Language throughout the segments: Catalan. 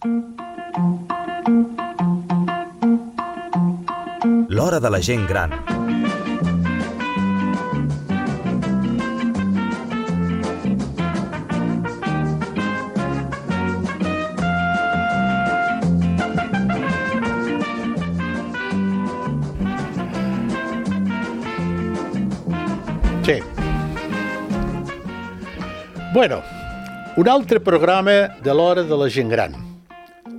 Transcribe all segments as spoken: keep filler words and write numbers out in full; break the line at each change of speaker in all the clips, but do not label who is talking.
L'hora de la gent gran.
Sí. Bueno, un altre programa de l'hora de la gent gran.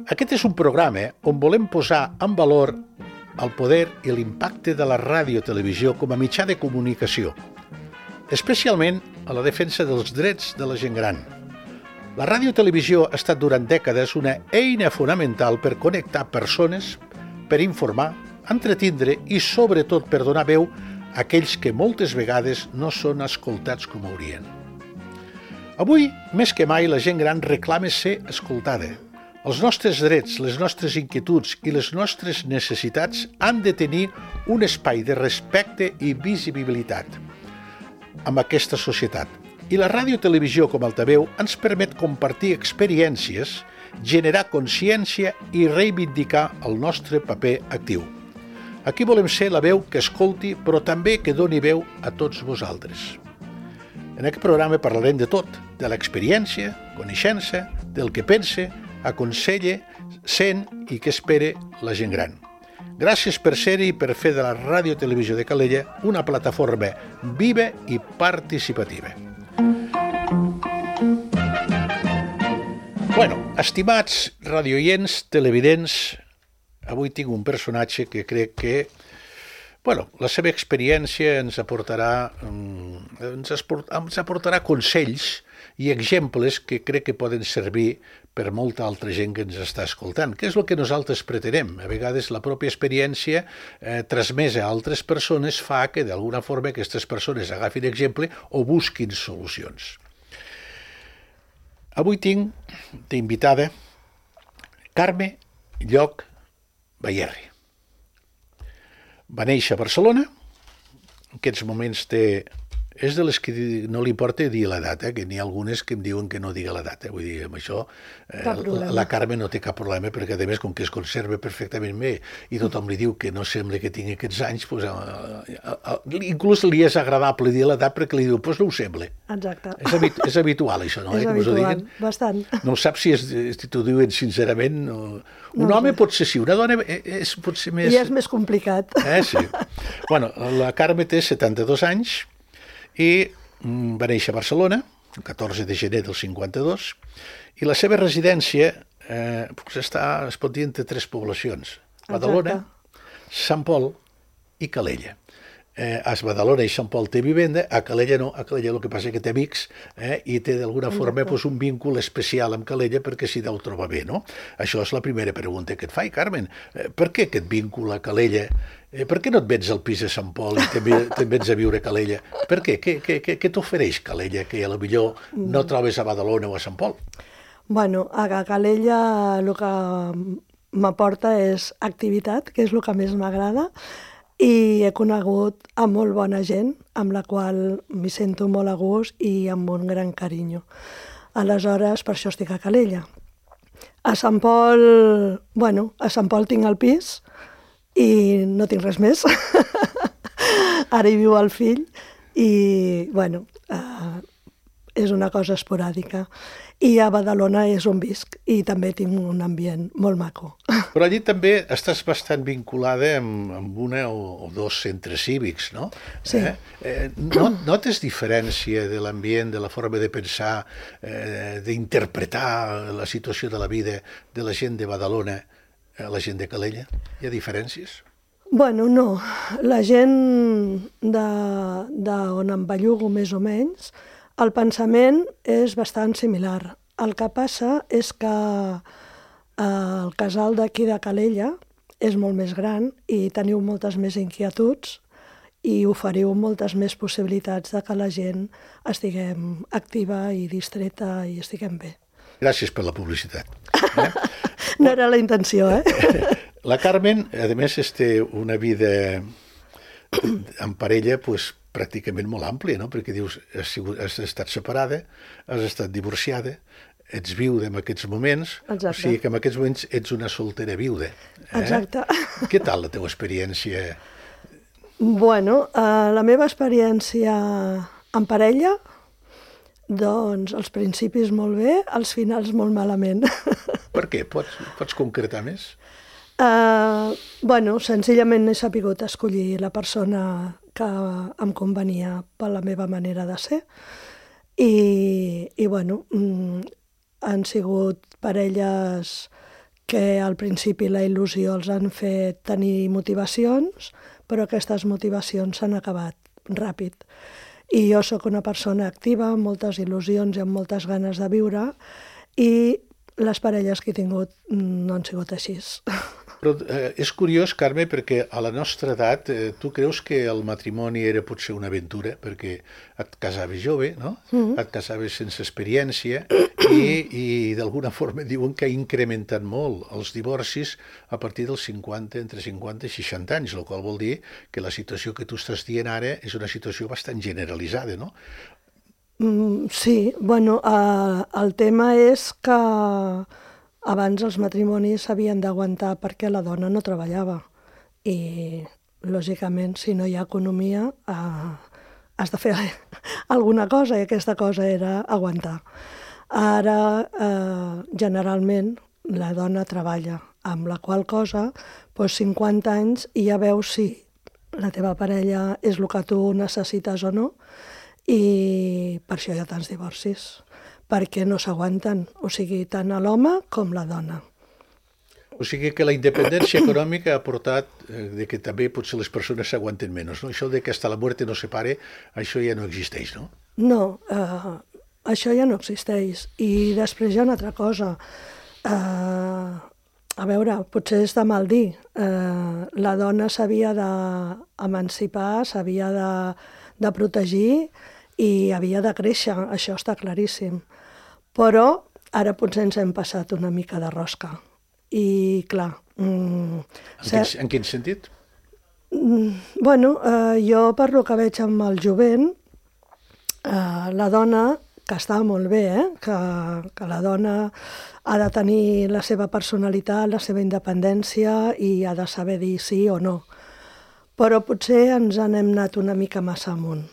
Aquest és un programa on volem posar en valor el poder i l'impacte de la ràdio-televisió com a mitjà de comunicació, especialment a la defensa dels drets de la gent gran. La ràdio-televisió ha estat durant dècades una eina fonamental per connectar persones, per informar, entretindre i, sobretot, per donar veu a aquells que moltes vegades no són escoltats com haurien. Avui, més que mai, la gent gran reclama ser escoltada. Els nostres drets, les nostres inquietuds i les nostres necessitats han de tenir un espai de respecte i visibilitat amb aquesta societat. I la ràdio-televisió com a altaveu ens permet compartir experiències, generar consciència i reivindicar el nostre paper actiu. Aquí volem ser la veu que escolti, però també que doni veu a tots vosaltres. En aquest programa parlarem de tot, de l'experiència, coneixença, del que pense, aconsella, sent i que espera la gent gran. Gràcies per ser-hi i per fer de la Ràdio-Televisió de Calella una plataforma viva i participativa. Bueno, estimats radioients, televidents, avui tinc un personatge que crec que bueno, la seva experiència ens aportarà, ens aportarà consells i exemples que crec que poden servir per molta altra gent que ens està escoltant, que és el que nosaltres pretenem. A vegades la pròpia experiència eh, transmesa a altres persones fa que d'alguna forma aquestes persones agafin exemple o busquin solucions. Avui tinc d'invitada Carme Lloch Bayerri. Va néixer a Barcelona, en aquests moments té... És de les que no li importa dir l'edat, eh? Que n'hi ha algunes que em diuen que no diga l'edat. Eh? Vull dir, amb això eh, la, la Carme no té cap problema, perquè a més, com que es conserva perfectament bé i tothom li diu que no sembla que tingui aquests anys, pues, eh, eh, inclús li és agradable dir l'edat perquè li diu, doncs pues no ho sembla.
Exacte.
És, habitu és habitual això, no?
És
eh?
habitual, bastant.
No saps si, és, si t'ho diuen sincerament. O... Un no, home no. Pot ser sí, una dona és potser més...
I és més complicat.
Eh, sí. Bueno, la Carme té setanta-dos anys, i va néixer a Barcelona, el catorze de gener del cinquanta-dos, i la seva residència eh, està, es pot dir, entre tres poblacions, Badalona, Sant Pol i Calella. Eh, a Badalona i Sant Pol té vivenda, a Calella no, a Calella el que passa és que té amics eh, i té d'alguna forma pues, un vincul especial amb Calella perquè s'hi deu trobar bé, no? Això és la primera pregunta que et faig, Carmen. Eh, per què aquest vincul a Calella? Eh, per què no et vens al pis de Sant Pol i també te'n vens a viure a Calella? Per què? Què, què, què, què t'ofereix Calella que potser no trobes a Badalona o a Sant Pol?
Bueno, a Calella el que m'aporta és activitat, que és el que més m'agrada, i he conegut a molt bona gent, amb la qual m'hi sento molt a gust i amb un gran carinyo. Aleshores, per això estic a Calella. A Sant Pol, bueno, a Sant Pol tinc el pis i no tinc res més. Ara hi viu el fill i, bueno, eh, és una cosa esporàdica. I a Badalona és on visc i també tinc un ambient molt maco.
Però allí també estàs bastant vinculada amb, amb una o, o dos centres cívics, no?
Sí.
Eh? Eh, no, notes diferència de l'ambient, de la forma de pensar, eh, d'interpretar la situació de la vida de la gent de Badalona a la gent de Calella? Hi ha diferències?
Bueno, no. La gent de, de on em bellugo més o menys, el pensament és bastant similar. El que passa és que el casal d'aquí de Calella és molt més gran i teniu moltes més inquietuds i oferiu moltes més possibilitats de que la gent estiguem activa i distreta i estiguem bé.
Gràcies per la publicitat. Eh?
No era la intenció, eh?
La Carmen, a més, té una vida en parella, doncs, pràcticament molt àmplia, no? Perquè dius, has, sigut, has estat separada, has estat divorciada, ets viuda en aquests moments,
Exacte.
o sigui que en aquests moments ets una soltera viuda. Eh?
Exacte.
Què tal la teva experiència?
Bueno, eh, la meva experiència en parella, doncs els principis molt bé, els finals molt malament.
Per què? Pots, pots concretar més?
Uh, bueno, senzillament he sapigut escollir la persona que em convenia per la meva manera de ser i, i bueno, mm, han sigut parelles que al principi la il·lusió els han fet tenir motivacions, però aquestes motivacions s'han acabat ràpid. I jo sóc una persona activa, amb moltes il·lusions i amb moltes ganes de viure, i les parelles que he tingut no han sigut així.
Però eh, és curiós, Carme, perquè a la nostra edat eh, tu creus que el matrimoni era potser una aventura, perquè et casaves jove, no? Mm-hmm. Et casaves sense experiència i, i d'alguna forma diuen que ha incrementat molt els divorcis a partir dels cinquanta, entre cinquanta i seixanta anys, el qual vol dir que la situació que tu estàs dient ara és una situació bastant generalitzada, no?
Mm, sí, bueno, eh, el tema és que abans els matrimonis s'havien d'aguantar perquè la dona no treballava i, lògicament, si no hi ha economia, eh, has de fer alguna cosa i aquesta cosa era aguantar. Ara, eh, generalment, la dona treballa, amb la qual cosa, doncs cinquanta anys i ja veus si la teva parella és el que tu necessites o no, i per això hi ha tants divorcis, perquè no s'aguanten, o sigui, tant a l'home com la dona.
O sigui que la independència econòmica ha portat eh, de que també potser les persones s'aguanten menys, no? Això de que hasta la muerte no separe, això ja no existeix, no?
No, eh, això ja no existeix. I després hi ha una altra cosa. Eh, a veure, potser és de mal dir. Eh, la dona s'havia d'emancipar, s'havia de, de protegir i havia de créixer, això està claríssim. Però ara potser ens hem passat una mica de rosca. I, clar... Mm,
en, quin, en quin sentit?
Mm, bueno, eh, jo per lo que veig amb el jovent, eh, la dona, que està molt bé, eh, que, que la dona ha de tenir la seva personalitat, la seva independència i ha de saber dir sí o no. Però potser ens n'hem anat una mica massa amunt.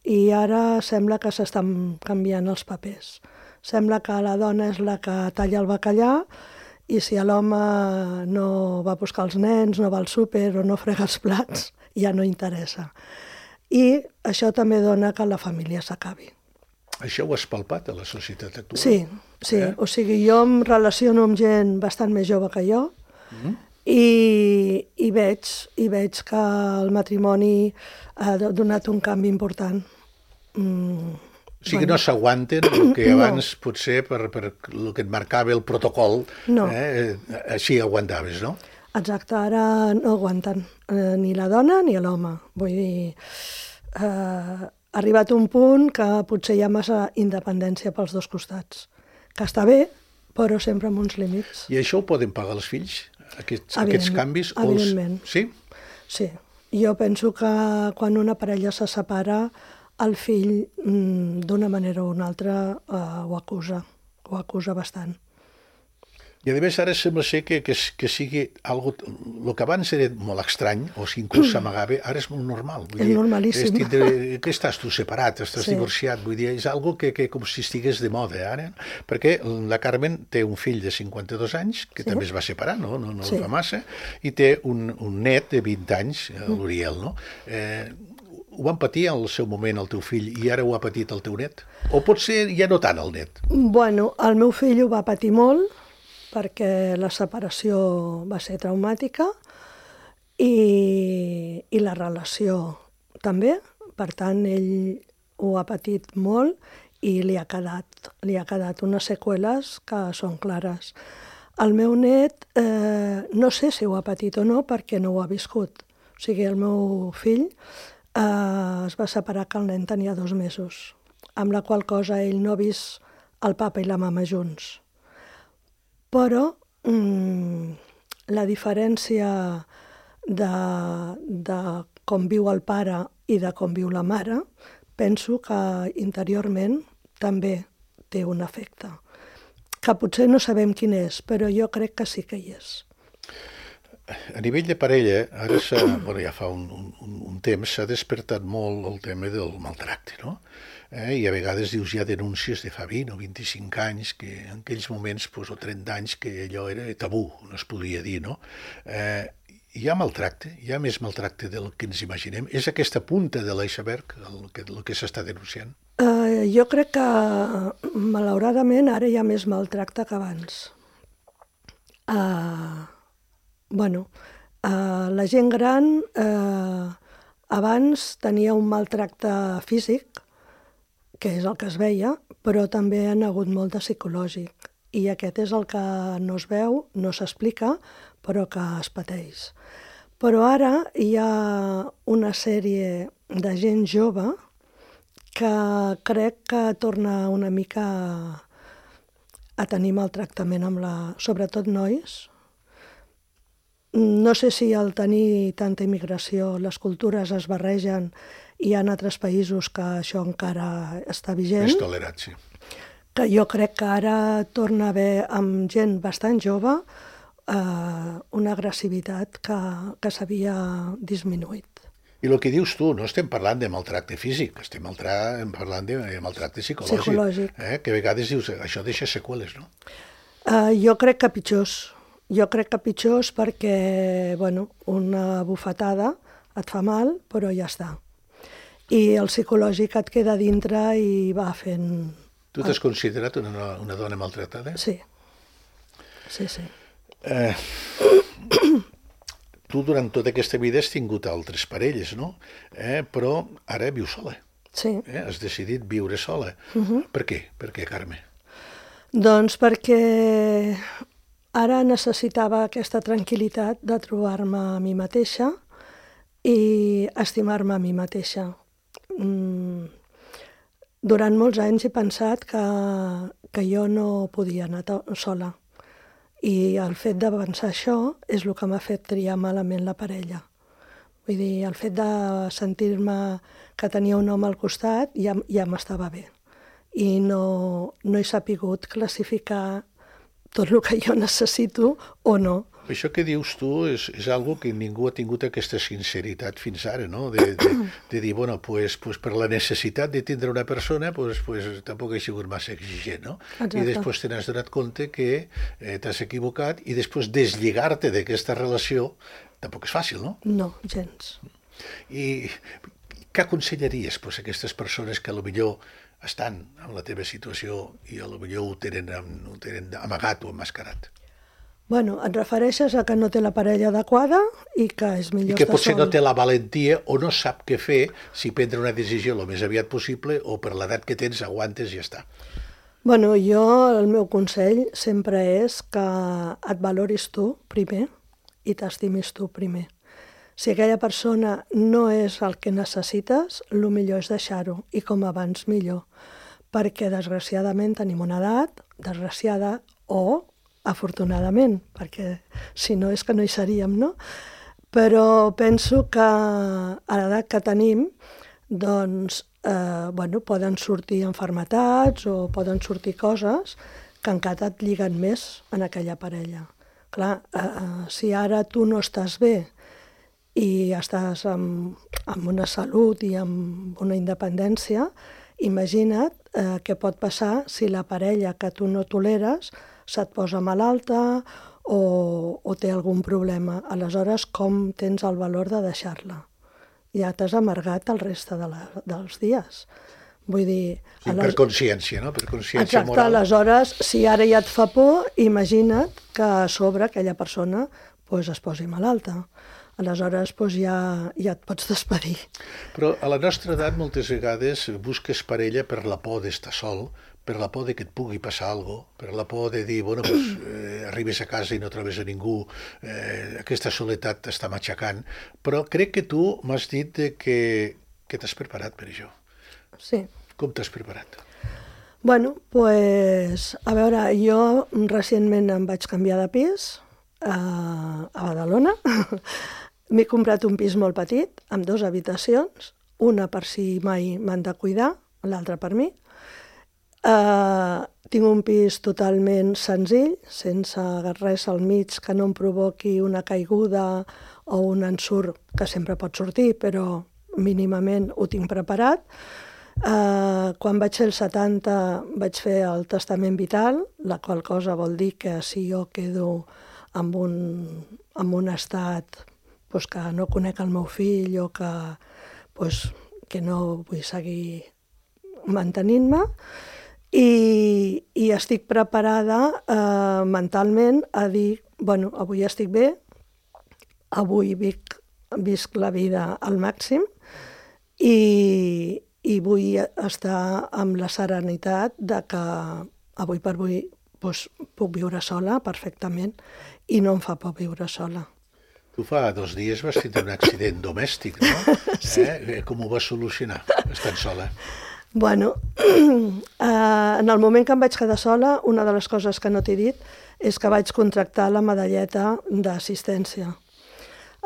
I ara sembla que s'estan canviant els papers. Sembla que la dona és la que talla el bacallà i si l'home no va a buscar els nens, no va al súper o no frega els plats, ja no interessa. I això també dona que la família s'acabi.
Això ho has palpat a la societat actual?
Sí, sí. Eh? O sigui, jo em relaciono amb gent bastant més jove que jo, mm-hmm. I, i, veig, i veig que el matrimoni ha donat un canvi important. Mm,
o sigui bueno. Que no s'aguanten el que abans no. Potser per, per el que et marcava el protocol, no. eh, així aguantaves, no?
Exacte, ara no aguanten eh, ni la dona ni l'home. Vull dir, eh, ha arribat un punt que potser hi ha massa independència pels dos costats, que està bé, però sempre amb uns límits.
I això ho poden pagar els fills? Aquests, aquests canvis?
Evidentment.
Els... Sí?
Sí. Jo penso que quan una parella se separa, el fill, d'una manera o una altra, eh, ho acusa. Ho acusa bastant.
I a més ara sembla ser que, que, que sigui algo, el que abans era molt estrany, o si inclús s'amagava, ara és molt normal. Vull
és
dir,
normalíssim.
És tindre, que estàs tu separat, estàs
sí.
divorciat, vull dir, és algo que, que com si estigués de moda ara, perquè la Carmen té un fill de cinquanta-dos anys, que sí. també es va separar, no, no, no sí. fa massa, i té un, un net de vint anys, l'Uriel, no? Eh, ho van patir al seu moment el teu fill i ara ho ha patit el teu net? O potser ja no tant el net?
Bueno, el meu fill ho va patir molt, perquè la separació va ser traumàtica i, i la relació també. Per tant, ell ho ha patit molt i li ha quedat, li ha quedat unes seqüeles que són clares. El meu net, eh, no sé si ho ha patit o no perquè no ho ha viscut. O sigui, el meu fill eh, es va separar que el nen tenia dos mesos, amb la qual cosa ell no ha vist el papa i la mama junts. Però mmm, la diferència de, de com viu el pare i de com viu la mare, penso que interiorment també té un efecte. que potser no sabem quin és, però jo crec que sí que hi és.
A nivell de parella, ara bueno, ja fa un, un, un temps s'ha despertat molt el tema del maltracte, no? Eh? I a vegades dius, hi ha denúncies de fa vint o vint-i-cinc anys, que en aquells moments, pues, o trenta anys, que allò era tabú, no es podia dir, no? Eh, hi ha maltracte, hi ha més maltracte del que ens imaginem. És aquesta punta de l'iceberg el que, el que s'està denunciant?
Uh, jo crec que, malauradament, ara hi ha més maltracte que abans. Uh, bueno, uh, la gent gran uh, abans tenia un maltracte físic, que és el que es veia, però també han hagut molt de psicològic. I aquest és el que no es veu, no s'explica, però que es pateix. Però ara hi ha una sèrie de gent jove que crec que torna una mica a tenir maltractament amb la... sobretot nois. No sé si al tenir tanta immigració les cultures es barregen i hi ha altres països que això encara està vigent.
Més tolerat, sí.
Que jo crec que ara torna a haver amb gent bastant jove eh, una agressivitat que, que s'havia disminuït.
I el que dius tu, no estem parlant de maltracte físic, estem parlant de maltracte psicològic.
Psicològic.
Eh? Que a vegades dius, això deixa seqüeles, no?
Uh, jo crec que pitjors. Jo crec que pitjors perquè, bueno, una bufetada et fa mal, però ja està. I el psicològic et queda dintre i va fent...
Tu t'has considerat una, una dona maltratada?
Sí. Sí, sí.
Eh, tu durant tota aquesta vida has tingut altres parelles, no? Eh, però ara vius sola.
Sí.
Eh? Has decidit viure sola.
Uh-huh.
Per què? Per què, Carme?
Doncs perquè ara necessitava aquesta tranquil·litat de trobar-me a mi mateixa i estimar-me a mi mateixa. Mm. Durant molts anys he pensat que, que jo no podia anar sola. I el fet de pensar això és el que m'ha fet triar malament la parella. Vull dir, el fet de sentir-me que tenia un home al costat ja, ja m'estava bé. I no, no he sapigut classificar tot el que jo necessito o no.
Això que dius tu és, és algo que ningú ha tingut aquesta sinceritat fins ara, no? De, de, de dir, bueno, pues, pues per la necessitat de tindre una persona, pues, pues tampoc he sigut massa exigent, no?
Exacte.
I després te n'has donat compte que eh, t'has equivocat i després deslligar-te d'aquesta relació tampoc és fàcil, no?
No, gens.
I què aconsellaries pues, a aquestes persones que potser estan en la teva situació i potser ho tenen, ho tenen amagat o emmascarat?
Bueno, et refereixes a que no té la parella adequada i que és millor
I que
estar
potser
sol.
no té la valentia o no sap què fer si prendre una decisió el més aviat possible o per l'edat que tens aguantes i ja està.
Bueno, jo, el meu consell sempre és que et valoris tu primer i t'estimis tu primer. Si aquella persona no és el que necessites, el millor és deixar-ho, i com abans millor. Perquè, desgraciadament, tenim una edat, desgraciada, o afortunadament, perquè si no és que no hi seríem, no? Però penso que a l'edat que tenim, doncs, eh, bueno, poden sortir malalties o poden sortir coses que encara et lliguen més en aquella parella. Clar, eh, si ara tu no estàs bé i estàs amb, amb una salut i amb una independència, imagina't eh, què pot passar si la parella que tu no toleres se't posa malalta o, o té algun problema. Aleshores, com tens el valor de deixar-la? Ja t'has amargat el reste de la, dels dies. Vull dir...
Sí, per consciència, no? Per consciència
Exacte,
moral.
Aleshores, si ara ja et fa por, imagina't que a sobre aquella persona pues, es posi malalta. Aleshores pues, ja, ja et pots despedir.
Però a la nostra edat moltes vegades busques parella per la por d'estar sol, per la por de que et pugui passar alguna cosa, per la por de dir, bueno, pues, eh, arribes a casa i no trobes a ningú, eh, aquesta soledat t'està matxacant, però crec que tu m'has dit que, que t'has preparat per això.
Sí.
Com t'has preparat?
Bueno, pues, a veure, jo recentment em vaig canviar de pis a, a Badalona. M'he comprat un pis molt petit, amb dues habitacions, una per si mai m'han de cuidar, l'altra per mi. Uh, tinc un pis totalment senzill, sense res al mig que no em provoqui una caiguda o un ensurt, que sempre pot sortir, però mínimament ho tinc preparat. Uh, quan vaig fer el setanta vaig fer el testament vital, la qual cosa vol dir que si jo quedo en un, en un estat pues, que no conec el meu fill o que, pues, que no vull seguir mantenint-me, i, i estic preparada eh, mentalment a dir, bueno, avui estic bé, avui vic, visc la vida al màxim i, i vull estar amb la serenitat de que avui per avui doncs, puc viure sola perfectament i no em fa por viure sola.
Tu fa dos dies vas tenir un accident domèstic, no?
Sí.
Eh? Com ho vas solucionar, estant sola?
Bueno, eh, en el moment que em vaig quedar sola, una de les coses que no t'he dit és que vaig contractar la medalleta d'assistència.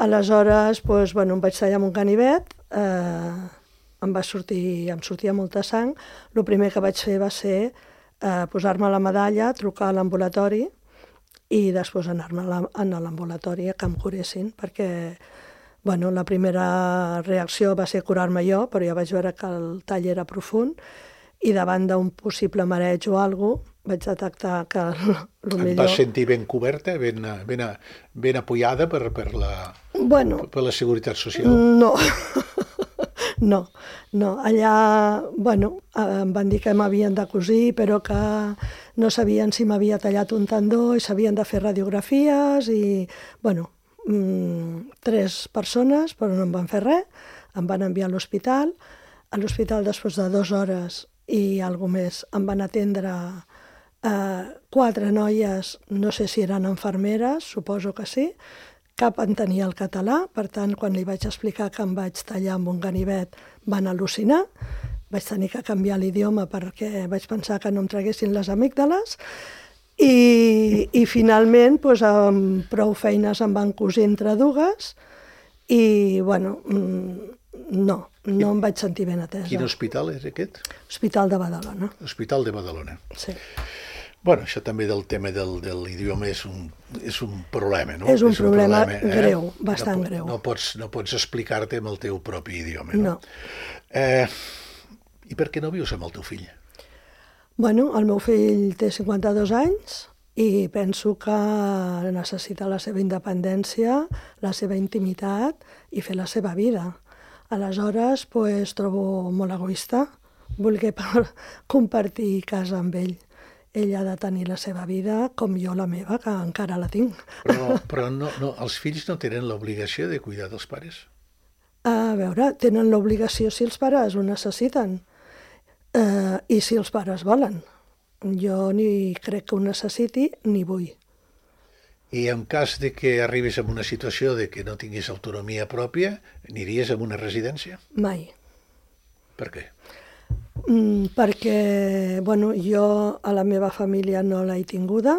Aleshores, doncs, bueno, em vaig tallar amb un ganivet, eh, em va sortir, em sortia molta sang. El primer que vaig fer va ser eh, posar-me la medalla, trucar a l'ambulatori i després anar-me a l'ambulatori a que em curessin, perquè bueno, la primera reacció va ser curar-me jo, però jo vaig veure que el tall era profund i davant d'un possible mareig o alguna cosa vaig detectar que el, el millor...
Et vas sentir ben coberta, ben, ben, ben apoyada per, per, la,
bueno,
per la Seguretat Social?
No, no, no. Allà, bueno, em van dir que m'havien de cosir, però que no sabien si m'havia tallat un tendó i s'havien de fer radiografies i, bueno, mm, tres persones, però no em van fer res, em van enviar a l'hospital. A l'hospital, després de dues hores i alguna més, em van atendre eh, quatre noies, no sé si eren infermeres, suposo que sí, cap entenia el català, per tant, quan li vaig explicar que em vaig tallar amb un ganivet, van al·lucinar, vaig tenir que canviar l'idioma perquè vaig pensar que no em traguessin les amígdales, i, i finalment, doncs, amb prou feines em van cosir entre dues, i, bueno, no, no em vaig sentir ben atesa.
Quin hospital és aquest?
Hospital de Badalona.
Hospital de Badalona.
Sí.
Bueno, això també del tema del, de l'idioma és un, és un problema, no?
És un, és un problema,
problema
greu,
eh?
bastant
no,
greu.
No pots, no pots explicar-te amb el teu propi idioma, no?
No.
Eh, I per què no vius amb el teu fill?
Bueno, el meu fill té cinquanta-dos anys i penso que necessita la seva independència, la seva intimitat i fer la seva vida. Aleshores, pues, trobo molt egoista voler compartir casa amb ell. Ell ha de tenir la seva vida com jo la meva, que encara la tinc.
Però, però no, no, els fills no tenen l'obligació de cuidar dels pares?
A veure, tenen l'obligació si els pares ho necessiten eh, i si els pares volen. Jo ni crec que ho necessiti ni vull.
I en cas de que arribis a una situació de que no tinguis autonomia pròpia, aniries a una residència?
Mai.
Per què?
Mm, perquè, bueno, jo a la meva família no l'he tinguda,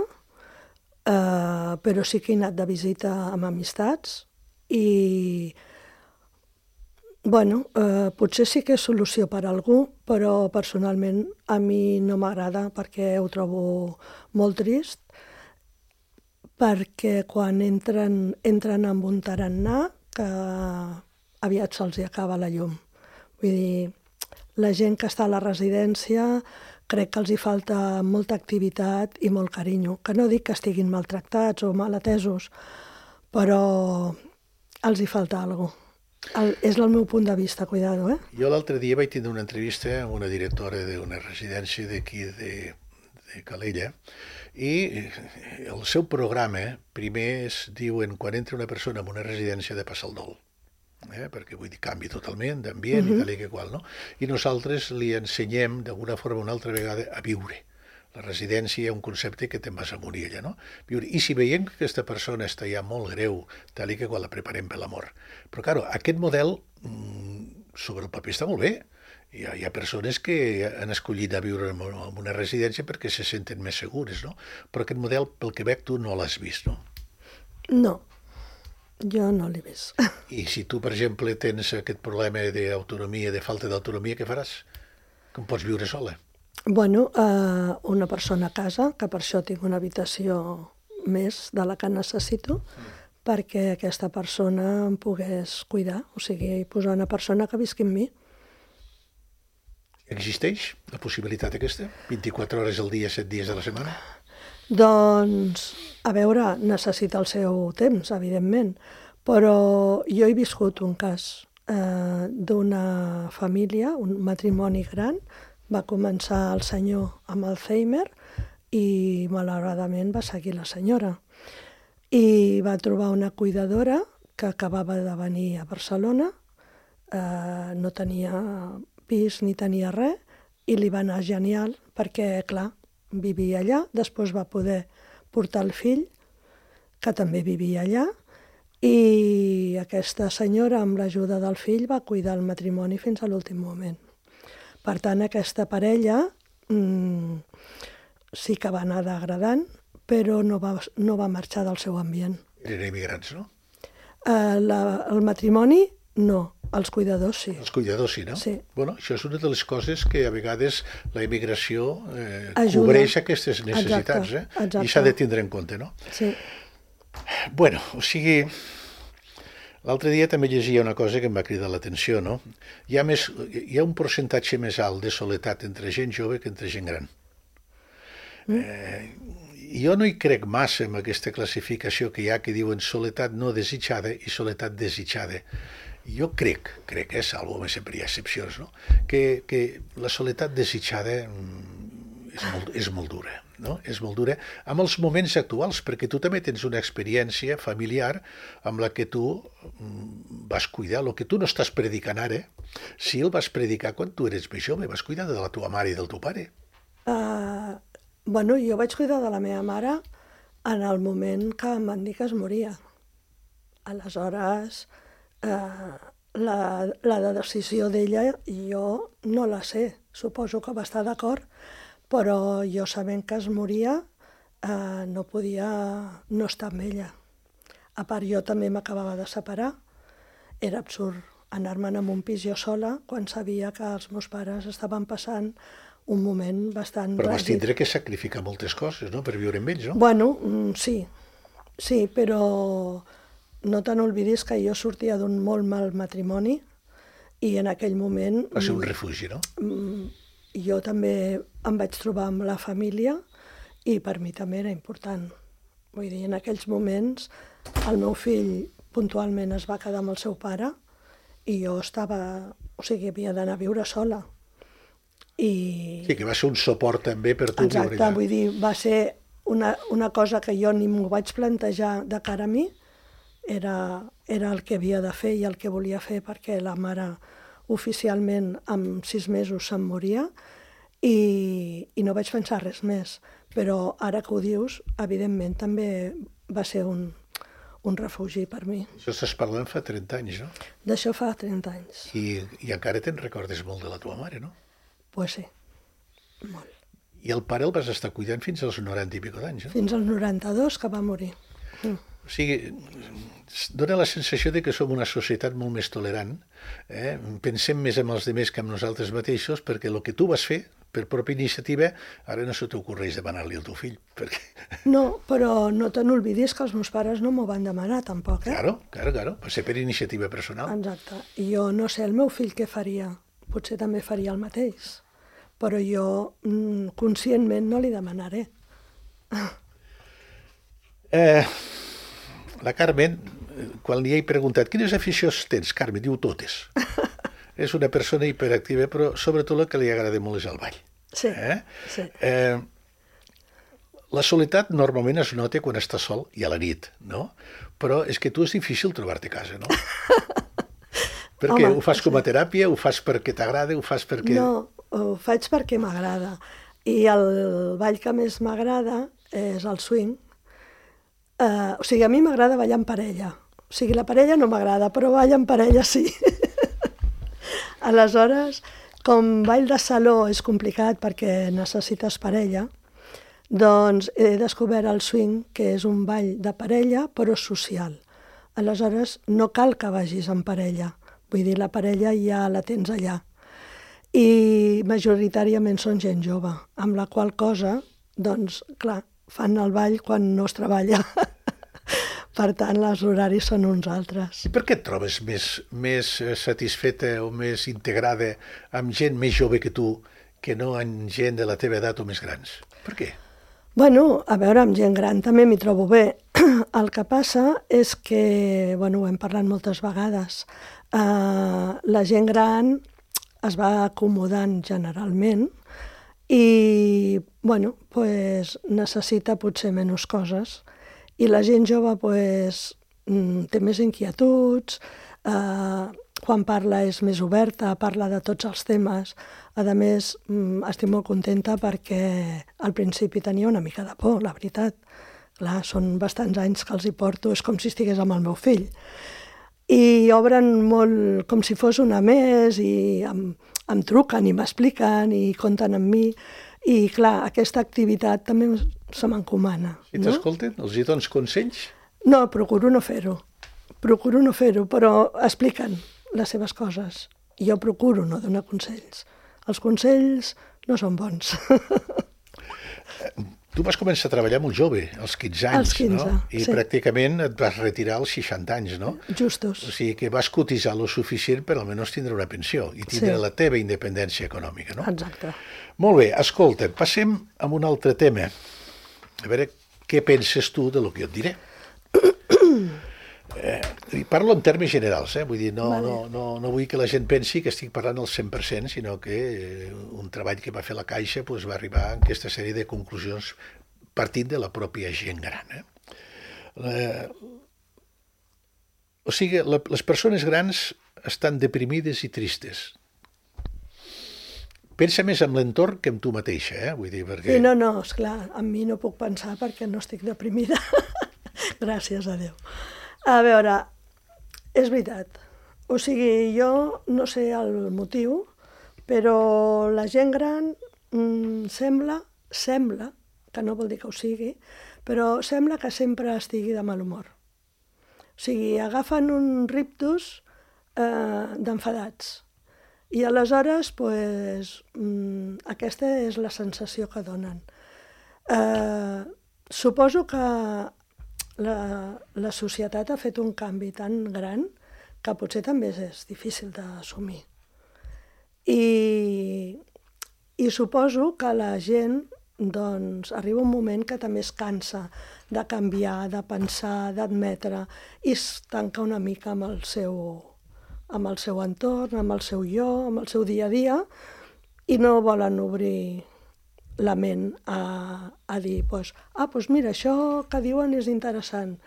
eh, però sí que he anat de visita amb amistats i, bueno, eh, potser sí que és solució per a algú, però personalment a mi no m'agrada perquè ho trobo molt trist, perquè quan entren, entren amb un tarannà que aviat se'ls acaba la llum. Vull dir, la gent que està a la residència crec que els hi falta molta activitat i molt carinyo. Que no dic que estiguin maltractats o mal atesos, però els hi falta alguna cosa. El, és el meu punt de vista, cuidado, eh?
Jo l'altre dia vaig tenir una entrevista amb una directora d'una residència d'aquí de, de Calella i el seu programa primer es diuen quan entra una persona en una residència de passar el dol. Eh? Perquè vull dir, canvi totalment d'ambient uh-huh. i tal i que qual, no? I nosaltres li ensenyem d'alguna forma una altra vegada a viure. La residència és un concepte que te'n vas a morir allà, no? Viure. I si veiem que aquesta persona està ja molt greu, tal i que qual la preparem per la mort. Però, clar, aquest model sobre el paper està molt bé. Hi ha, hi ha persones que han escollit a viure en una residència perquè se senten més segures, no? Però aquest model, pel que veig, tu no l'has vist, no?
No. Jo no l'he vist.
I si tu, per exemple, tens aquest problema d'autonomia, de falta d'autonomia, què faràs? Com pots viure sola?
Bueno, eh, una persona a casa, que per això tinc una habitació més de la que necessito, perquè aquesta persona em pogués cuidar, o sigui, posar una persona que visqui amb mi.
Existeix la possibilitat aquesta? vint-i-quatre hores al dia, set dies a la setmana?
Doncs, a veure, necessita el seu temps, evidentment, però jo he viscut un cas eh, d'una família, un matrimoni gran, va començar el senyor amb Alzheimer i malauradament va seguir la senyora. I va trobar una cuidadora que acabava de venir a Barcelona, eh, no tenia pis ni tenia res, i li va anar genial perquè, clar, vivia allà, després va poder portar el fill, que també vivia allà, i aquesta senyora, amb l'ajuda del fill, va cuidar el matrimoni fins a l'últim moment. Per tant, aquesta parella mmm, sí que va anar degradant, però no va, no va marxar del seu ambient.
Eren immigrants, no?
Eh, la, el matrimoni, no. Els cuidadors, sí.
Els cuidadors, sí, no?
Sí.
Bueno, això és una de les coses que a vegades la immigració eh,
Ajuda.
cobreix aquestes necessitats,
Exacte,
eh?
exacte.
I s'ha de tindre en compte, no?
Sí.
Bueno, o sigui, l'altre dia també llegia una cosa que em va cridar l'atenció, no? Hi ha, més, hi ha un percentatge més alt de soledat entre gent jove que entre gent gran. Mm. Eh, jo no hi crec massa en aquesta classificació que hi ha que diuen soledat no desitjada i soledat desitjada. Jo crec, crec, és algo, sempre hi ha excepcions, no? que, que la soledat desitjada és molt, és molt dura, no? És molt dura amb els moments actuals, perquè tu també tens una experiència familiar amb la que tu vas cuidar, el que tu no estàs predicant ara, si el vas predicar quan tu eres més jove, vas cuidar de la teva mare i del teu pare.
Uh, bueno, jo vaig cuidar de la meva mare en el moment que em van dir que es moria. Aleshores, Uh, la, la decisió d'ella jo no la sé, suposo que va estar d'acord, però jo sabent que es moria uh, no podia no estar amb ella. A part, jo també m'acabava de separar, era absurd anar-me'n en un pis jo sola quan sabia que els meus pares estaven passant un moment bastant
Però vas
tràgic.
tindre que sacrificar moltes coses, no?, per viure amb ells, no?
Bueno, mm, sí, sí, però no te n'oblidis que jo sortia d'un molt mal matrimoni i en aquell moment...
Va ser un refugi, no?
Jo també em vaig trobar amb la família i per mi també era important. Vull dir, en aquells moments el meu fill puntualment es va quedar amb el seu pare i jo estava... O sigui, havia d'anar a viure sola. I...
Sí, que va ser un suport també per tu
Exacte,
viure allà.
vull dir, va ser una, una cosa que jo ni m'ho vaig plantejar de cara a mi, Era, era el que havia de fer i el que volia fer perquè la mare oficialment amb sis mesos se'n moria i, i no vaig pensar res més. Però ara que ho dius, evidentment també va ser un, un refugi per mi.
Això estàs parlant fa trenta anys, no?
D'això fa trenta anys.
I, i encara te'n recordes molt de la teva mare, no?
Pues sí, molt.
I el pare el vas estar cuidant fins als noranta i pico d'anys, no?
Fins als noranta-dos que va morir. Mm.
O sigui, dona la sensació de que som una societat molt més tolerant, eh? Pensem més en els altres que en nosaltres mateixos, perquè el que tu vas fer, per pròpia iniciativa, ara no se t'ocorreix demanar-li al teu fill. Perquè...
No, però no te n'oblidis que els meus pares no m'ho van demanar, tampoc, eh?
Claro, claro, claro, va ser per iniciativa personal.
Exacte. I jo no sé el meu fill què faria, potser també faria el mateix, però jo mm, conscientment no li demanaré.
Eh... La Carmen, quan li he preguntat quines aficions tens, Carmen, diu totes. És una persona hiperactiva, però sobretot el que li agrada molt és el ball.
Sí,
eh?
sí.
Eh, la soledat normalment es nota quan estàs sol i a la nit, no? Però és que tu és difícil trobar-te a casa, no? Perquè
Home,
ho fas com a
sí.
teràpia, ho fas perquè t'agrada, ho fas perquè...
No, ho faig perquè m'agrada. I el ball que més m'agrada és el swing. Uh, o sigui, a mi m'agrada ballar en parella. O sigui, la parella no m'agrada, però ballar en parella sí. Aleshores, com ball de saló és complicat perquè necessites parella, doncs he descobert el swing, que és un ball de parella, però social. Aleshores, no cal que vagis en parella. Vull dir, la parella ja la tens allà. i majoritàriament són gent jove, amb la qual cosa, doncs, clar, fan el ball quan no es treballa. Per tant, els horaris són uns altres.
I per què et trobes més, més satisfeta o més integrada amb gent més jove que tu que no amb gent de la teva edat o més grans? Per què?
Bueno, a veure, amb gent gran també m'hi trobo bé. El que passa és que, bueno, ho hem parlat moltes vegades, uh, la gent gran es va acomodant generalment i, bueno, pues, necessita potser menys coses i la gent jove pues, té més inquietuds, uh, quan parla és més oberta, parla de tots els temes. A més, estic molt contenta perquè al principi tenia una mica de por, la veritat. Clar, són bastants anys que els hi porto, és com si estigués amb el meu fill. I obren molt com si fos una més i em, em truquen i m'expliquen i compten amb mi. I clar, aquesta activitat també se m'encomana.
I t'escolten? Els hi dones consells?
No, procuro no fer-ho. Procuro no fer-ho, però expliquen les seves coses. I jo procuro no donar consells. Els consells no són bons.
Tu vas començar a treballar molt jove, als quinze anys,
als quinze,
no? I
sí.
Pràcticament et vas retirar als seixanta anys, no?
Justos.
O sigui que vas cotitzar lo suficient per almenys tindre una pensió i tindre
sí.
la teva independència econòmica, no?
Exacte.
Molt bé, escolta, passem a un altre tema. A veure què penses tu de lo que jo et diré. Eh, parlo en termes generals, eh? Vull dir, no, vale. no, no, no vull que la gent pensi que estic parlant al cent per cent, sinó que eh, un treball que va fer la Caixa pues, va arribar a aquesta sèrie de conclusions partint de la pròpia gent gran. Eh? Eh, o sigui, la, les persones grans estan deprimides i tristes. Pensa més en l'entorn que en tu mateixa, eh? Vull dir, perquè...
Sí, no, no, esclar, en mi no puc pensar perquè no estic deprimida. Gràcies a Déu. A veure, és veritat. O sigui, jo no sé el motiu, però la gent gran mmm, sembla, sembla, que no vol dir que ho sigui, però sembla que sempre estigui de mal humor. O sigui, agafen un rictus eh, d'enfadats. I aleshores, pues, mmm, aquesta és la sensació que donen. Eh, suposo que La, la societat ha fet un canvi tan gran que potser també és difícil d'assumir. I, I suposo que la gent doncs, arriba un moment que també es cansa de canviar, de pensar, d'admetre, i es tanca una mica amb el seu, amb el seu entorn, amb el seu jo, amb el seu dia a dia, i no volen obrir la ment a, a dir, pues, ah, doncs mira, això que diuen és interessant,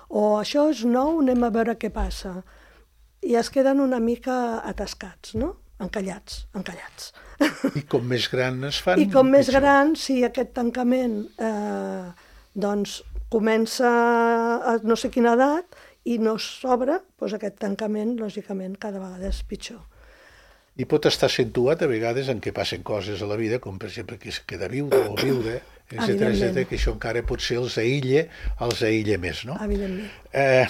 o això és nou, anem a veure què passa. I es queden una mica atascats, no? Encallats, encallats.
I com més gran es fan...
I com més gran, si aquest tancament eh, doncs comença a no sé quina edat i no s'obre, doncs aquest tancament, lògicament, cada vegada és pitjor.
I pot estar accentuat a vegades en què passen coses a la vida, com per exemple que es queda viuda o viuda, etcètera, etcètera, que això encara potser els aïlla, els aïlla més, no?
Evidentment.
Eh,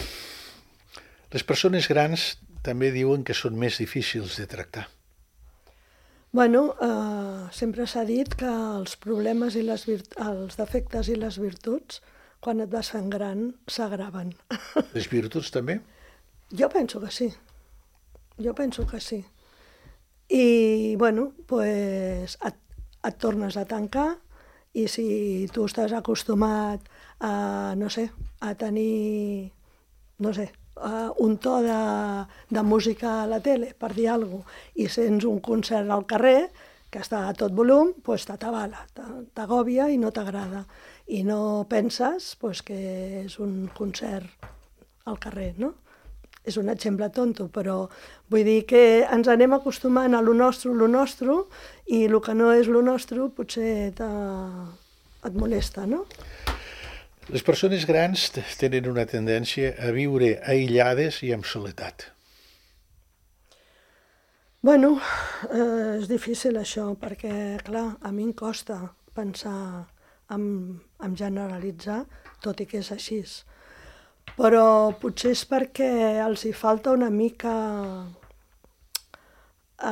les persones grans també diuen que són més difícils de tractar.
Bueno, eh, sempre s'ha dit que els problemes i les virt- els defectes i les virtuts, quan et vas fent gran, s'agraven.
Les virtuts també?
Jo penso que sí. Jo penso que sí. I, bueno, pues, et, et tornes a tancar i si tu estàs acostumat a, no sé, a tenir, no sé, un to de, de música a la tele, per dir alguna cosa, i sents un concert al carrer que està a tot volum, pues, t'atabala, t'agòbia i no t'agrada. I no penses pues, que és un concert al carrer, no? És un exemple tonto, però vull dir que ens anem acostumant a lo nostre, lo nostre, i el que no és lo nostre potser et molesta, no?
Les persones grans tenen una tendència a viure aïllades i amb soledat.
Bueno, eh, és difícil això, perquè, clar, a mi em costa pensar en, en generalitzar, tot i que és així. Però potser és perquè els hi falta una mica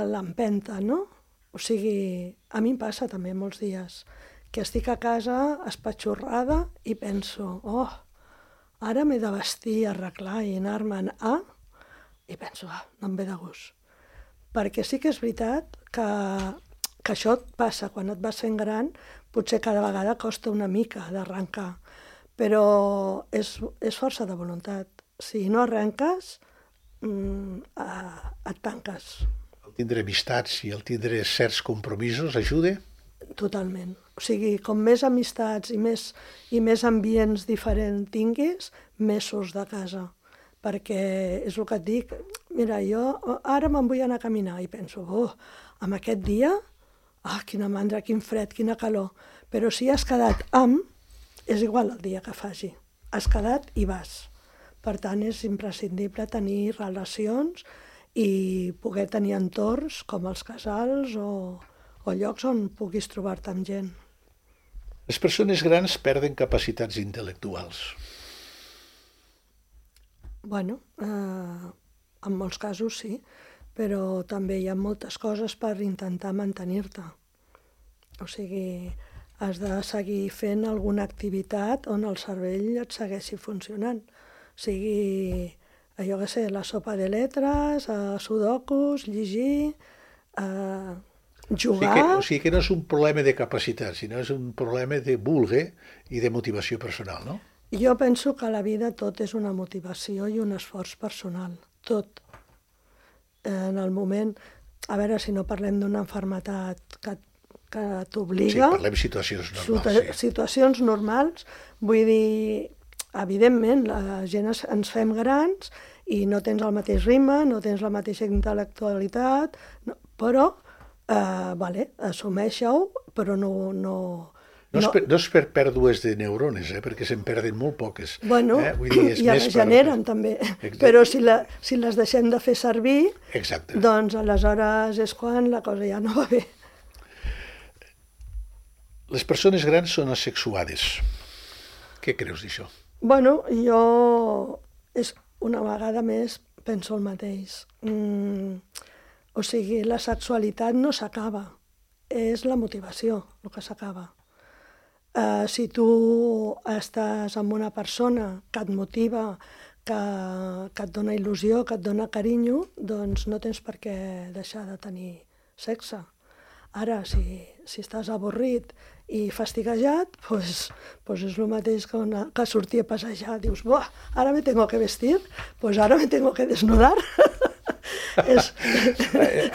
l'empenta, no? O sigui, a mi em passa també molts dies que estic a casa espatxorrada i penso, oh, ara m'he de vestir, arreglar i anar-me'n a... I penso, ah, no em ve de gust. Perquè sí que és veritat que, que això et passa quan et vas fent gran, potser cada vegada costa una mica d'arrencar, però és, és força de voluntat. Si no arrenques, mm, eh, et tanques.
El tindre amistats i el tindre certs compromisos ajuda?
Totalment. O sigui, com més amistats i més, i més ambients diferents tinguis, més surts de casa. Perquè és el que et dic, mira, jo ara me'n vull anar a caminar i penso, oh, amb aquest dia, ah, quina mandra, quin fred, quina calor. Però si has quedat amb, és igual el dia que faci. Has quedat i vas. Per tant, és imprescindible tenir relacions i poder tenir entorns com els casals o, o llocs on puguis trobar-te amb gent.
Les persones grans perden capacitats intel·lectuals.
Bueno, eh, en molts casos sí, però també hi ha moltes coses per intentar mantenir-te. O sigui, has de seguir fent alguna activitat on el cervell et segueixi funcionant. O sigui, jo què sé, la sopa de lletres, eh, sudokus, llegir, eh, jugar...
O sigui, que, o sigui que no és un problema de capacitat, sinó és un problema de vulgue i de motivació personal, no?
Jo penso que a la vida tot és una motivació i un esforç personal, tot. En el moment, a veure si no parlem d'una malaltia que, que t'obliga...
Sí, parlem de situacions normals. Sí.
Situacions normals, vull dir, evidentment, la gent es, ens fem grans i no tens el mateix ritme, no tens la mateixa intel·lectualitat, no, però, eh, vale, assumeixo-ho, però no... no
No és, per, no és per pèrdues de neurones, eh, perquè se'n perden molt poques.
Bueno,
eh? Vull dir, és
i
més
es generen
per...
també,
Exacte.
Però si, la, si les deixem de fer servir,
Exacte.
Doncs aleshores és quan la cosa ja no va bé.
Les persones grans són asexuades. Què creus d'això?
Bueno, jo és una vegada més penso el mateix. Mm, o sigui, la sexualitat no s'acaba, és la motivació el que s'acaba. Uh, si tu estàs amb una persona que et motiva, que, que et dona il·lusió, que et dona carinyo, doncs no tens per què deixar de tenir sexe. Ara, si, si estàs avorrit i fastiguejat, doncs, doncs és el mateix que, una, que sortir a passejar. Dius, buah, ara me tengo que vestir, doncs ara me tengo que desnudar. és...